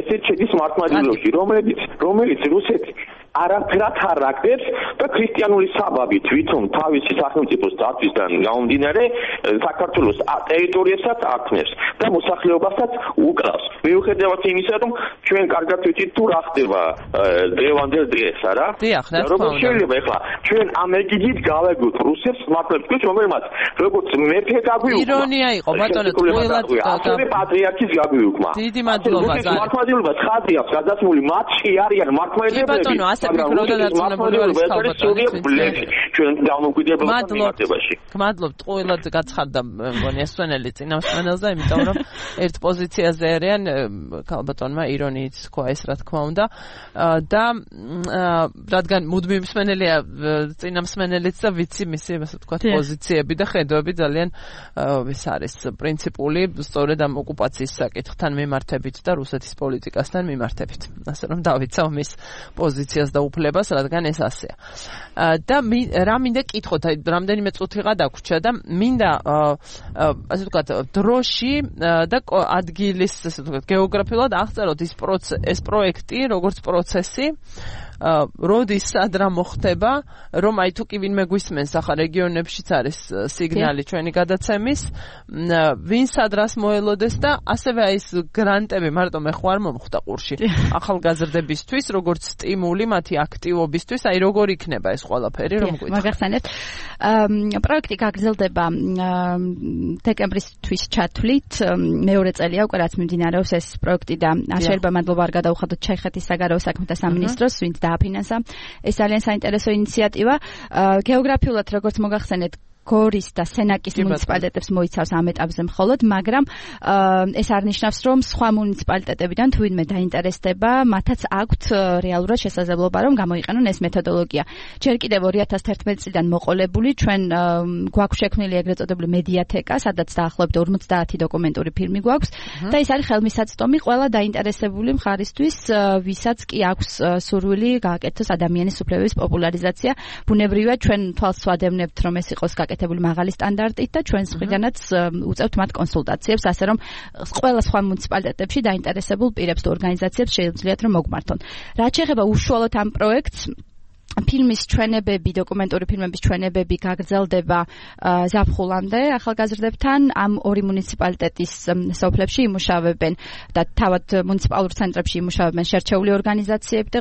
ესეც შედის მართლმადიდებლობაში რომელიც რომელიც რუსეთი არაფერად არ რაკდებს და ქრისტიანული საბაბი თვითონ თავისი სახელმწიფოს დაცვისგან გამომდინარე საქართველოს ტერიტორიასაც ართმევს და მოსახლეობასაც უკლავს. მიუხედავად იმისა, რომ ჩვენ კარგად ვიცით თუ რა ხდება დღევანდელ დღეს, არა? და როგორ შეიძლება ახლა ჩვენ ამ ეგიდით გავეგოთ რუსებს მართლებს, რომელმაც როგორც მეფე გაგვიუქმა. ირონია იყო, ბატონო, ყველა ასევე პატრიარქის გაგვიუქმა. დიდი მადლობა. მართლმადიდებლობა ცხადია, გადასმული მათში არიან მართლმადიდებლები. ფიქრობდა დაწუნებული არის ქალბატონი ჩვენ დამოუკიდებელ მიმართებაში. გმადლობთ ყველად გაცხარდა მგონი ესვენელი წინამსვენელზე, იმიტომ რომ ერთ პოზიციაზე არიან ქალბატონმა ირონიით თქვა ეს რა თქმა უნდა და რადგან მუდმივი მსმენელია წინამსმენელიც და ვიცი მისი ასე ვთქვათ პოზიციები და ხედვები ძალიან ეს არის პრინციპული სწორედ ამ ოკუპაციის საკითხთან მიმართებით და რუსეთის პოლიტიკასთან მიმართებით. ასე რომ დავიცავ მის პოზიციას და უფლებას, რადგან ეს ასეა. და რა მინდა კითხოთ, აი რამდენიმე წუთიღა დაგვრჩა და მინდა ასე ვთქვათ დროში და ადგილის ასე ვთქვათ გეოგრაფიულად აღწეროთ ის ეს პროექტი, როგორც პროცესი როდის სად რა მოხდება, რომ აი თუ კი ვინმე გვისმენს ახლა რეგიონებშიც არის სიგნალი ჩვენი გადაცემის, ვინ სად რას მოელოდეს და ასევე აი ეს გრანტები მარტო მე ხო არ მომხვდა ყურში ახალგაზრდებისთვის, როგორც სტიმული მათი აქტივობისთვის, აი როგორ იქნება ეს ყველაფერი, რომ გვითხოთ. მაგახსენებთ. პროექტი გაგრძელდება დეკემბრის ჩათვლით, მეორე წელია უკვე რაც მიმდინარეობს ეს პროექტი და შეიძლება მადლობა არ გადაუხადოთ ჩეხეთის საგარეო საქმეთა სამინისტროს, ვინც დააფინანსა. ეს ძალიან საინტერესო ინიციატივა. გეოგრაფიულად როგორც მოგახსენეთ, გორის და სენაკის მუნიციპალიტეტებს მოიცავს ამ ეტაპზე მხოლოდ, მაგრამ ეს არ ნიშნავს, რომ სხვა მუნიციპალიტეტებიდან თუ ვინმე დაინტერესდება, მათაც აქვთ რეალურად შესაძლებლობა, რომ გამოიყენონ ეს მეთოდოლოგია. ჯერ კიდევ ორი ათას თერთმეტი წლიდან მოყოლებული, ჩვენ გვაქვს შექმნილი ეგრეთ წოდებული მედიათეკა, სადაც დაახლოებით ორმოცდაათი დოკუმენტური ფილმი გვაქვს და ეს არის ხელმისაწვდომი ყველა დაინტერესებული მხარისთვის, ვისაც კი აქვს სურვილი გააკეთოს ადამიანის უფლებების პოპულარიზაცია. ბუნებრივია, ჩვენ თვალს ვადევნებთ, რომ ეს იყოს გაკეთებული მაღალი სტანდარტით და ჩვენს მხრიდანაც უწევთ მათ კონსულტაციებს, ასე რომ ყველა სხვა მუნიციპალიტეტებში დაინტერესებულ პირებს თუ ორგანიზაციებს შეუძლიათ რომ მოგმართონ. რაც შეეხება უშუალოდ ამ პროექტს, ფილმის ჩვენებები, დოკუმენტური ფილმების ჩვენებები გაგრძელდება ზაფხულამდე ახალგაზრდებთან. ამ ორი მუნიციპალიტეტის სოფლებში იმუშავებენ და თავად მუნიციპალურ ცენტრებში იმუშავებენ შერჩეული ორგანიზაციები და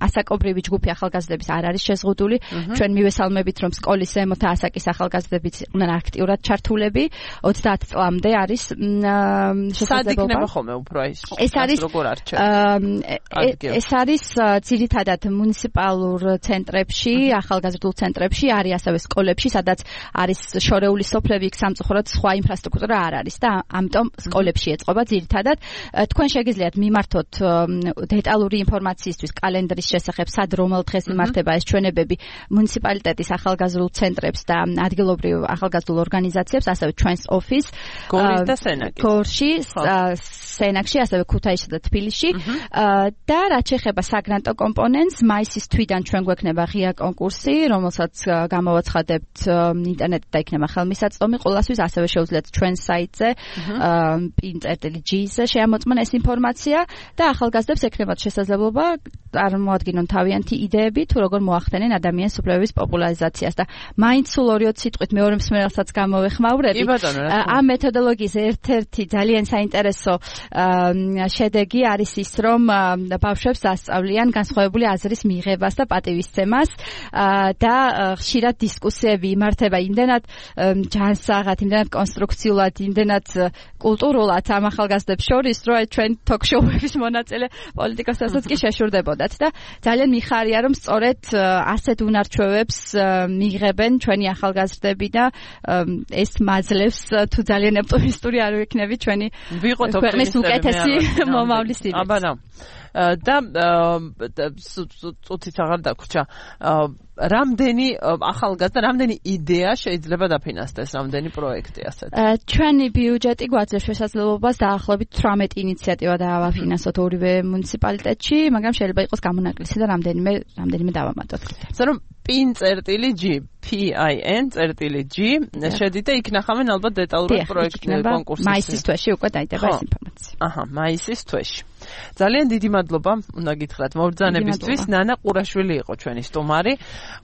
ასაკობრივი ჯგუფი ახალგაზრდების არ არის შეზღუდული. ჩვენ მივესალმებით, რომ სკოლის ზემოთა ასაკის ახალგაზრდებიც იყვნენ აქტიურად ჩართულები. ოცდაათ წლამდე არის შესაძლებლობა. სად იქნება ხოლმე უფრო ის? ეს არის ეს არის ძირითადად მუნიციპალურ ცენტრებში, ახალგაზრდულ ცენტრებში, არის ასევე სკოლებში, სადაც არის შორეული სოფლები, იქ სამწუხაროდ სხვა ინფრასტრუქტურა არ არის და ამიტომ სკოლებში ეწყობა ძირითადად. თქვენ შეგიძლიათ მიმართოთ დეტალური ინფორმაციისთვის კალენდრის შესახებ, სად რომელ დღეს იმართება ეს ჩვენებები მუნიციპალიტეტის ახალგაზრდულ ცენტრებს და ადგილობრივ ახალგაზრდულ ორგანიზაციებს, ასევე ჩვენს ოფისს გორის და სენაკის. გორში, სენაკში, ასევე ქუთაისში და თბილისში. და რაც შეეხება საგრანტო კომპონენტს, მაისის თვიდან ჩვენ გვექნება ღია კონკურსი, რომელსაც გამოვაცხადებთ ინტერნეტით და იქნება ხელმისაწვდომი ყველასთვის, ასევე შეუძლიათ ჩვენ საიტზე pin წერტილი g-ზე შეამოწმონ ეს ინფორმაცია და ახალგაზრდებს ექნებათ შესაძლებლობა წარმოადგინონ თავიანთი იდეები თუ როგორ მოახდენენ ადამიანის უფლებების პოპულარიზაციას და მაინც სულ ორი სიტყვით მეორე მსმენელსაც გამოვეხმაურები. ამ მეთოდოლოგიის ერთ-ერთი ძალიან საინტერესო შედეგი არის ის, რომ ბავშვებს ასწავლიან განსხვავებული აზრის მიღებას და პატივისცემას და ხშირად დისკუსიები იმართება იმდენად ჯანსაღად, იმდენად კონსტრუქციულად, იმდენად კულტურულად ამ ახალგაზრდებს შორის, რომ ჩვენ თოქ-შოუების მონაწილე პოლიტიკოსებსაც კი შეშურდებოდათ და ძალიან მიხარია, რომ სწორედ ასეთ უნარჩვევებს მიიღებენ ჩვენი ახალგაზრდები და ეს მაძლევს თუ ძალიან ოპტიმისტური არ ვიქნები ჩვენი ქვეყნის უკეთესი მომავლის იმედს. აბანა და წუთით აღარ დაგვრჩა რამდენი ახალგაზრდა, რამდენი იდეა შეიძლება დაფინანსდეს, რამდენი პროექტი ასეთ? ჩვენი ბიუჯეტი გვაძლევს შესაძლებლობას დაახლოებით თვრამეტი ინიციატივა დავაფინანსოთ ორივე მუნიციპალიტეტში, მაგრამ შეიძლება იყოს გამონაკლისი და რამდენიმე რამდენიმე დავამატოთ. ასე რომ pin წერტილი g pin წერტილი g შედით და იქ ნახავენ ალბათ დეტალურად პროექტი კონკურსის. მაისის თვეში უკვე დაიდება ეს ინფორმაცია. აჰა, მაისის თვეში. ძალიან დიდი მადლობა უნდა გითხრათ მობრძანებისთვის. ნანა ყურაშვილი იყო ჩვენი სტუმარი,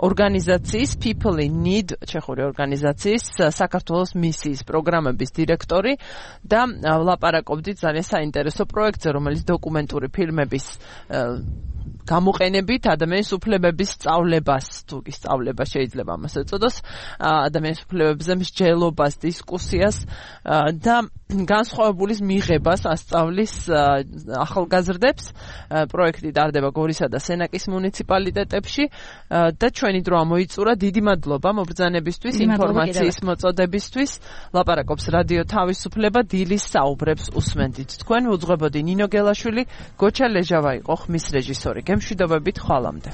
ორგანიზაციის People in Need, ჩეხური ორგანიზაციის საქართველოს მისიის პროგრამების დირექტორი და ვლაპარაკობდით ძალიან საინტერესო პროექტზე, რომელიც დოკუმენტური ფილმების გამოყენებით ადამიანის უფლებების სწავლებას, თუ კი სწავლება შეიძლება ამას ეწოდოს, ადამიანის უფლებებზე მსჯელობას, დისკუსიას და განსხვავებულის მიღებას ასწავლის ახალგაზრდებს. პროექტი ტარდება გორისა და სენაკის მუნიციპალიტეტებში და ჩვენი დრო ამოიწურა. დიდი მადლობა მობრძანებისთვის, ინფორმაციის მოწოდებისთვის. ლაპარაკობს რადიო თავისუფლება, დილის საუბრებს უსმენდით. თქვენ უძღვებოდი ნინო გელაშვილი, გოჩა ლეჟავა იყო ხმის რეჟისორი. გემშვიდობებით ხვალამდე.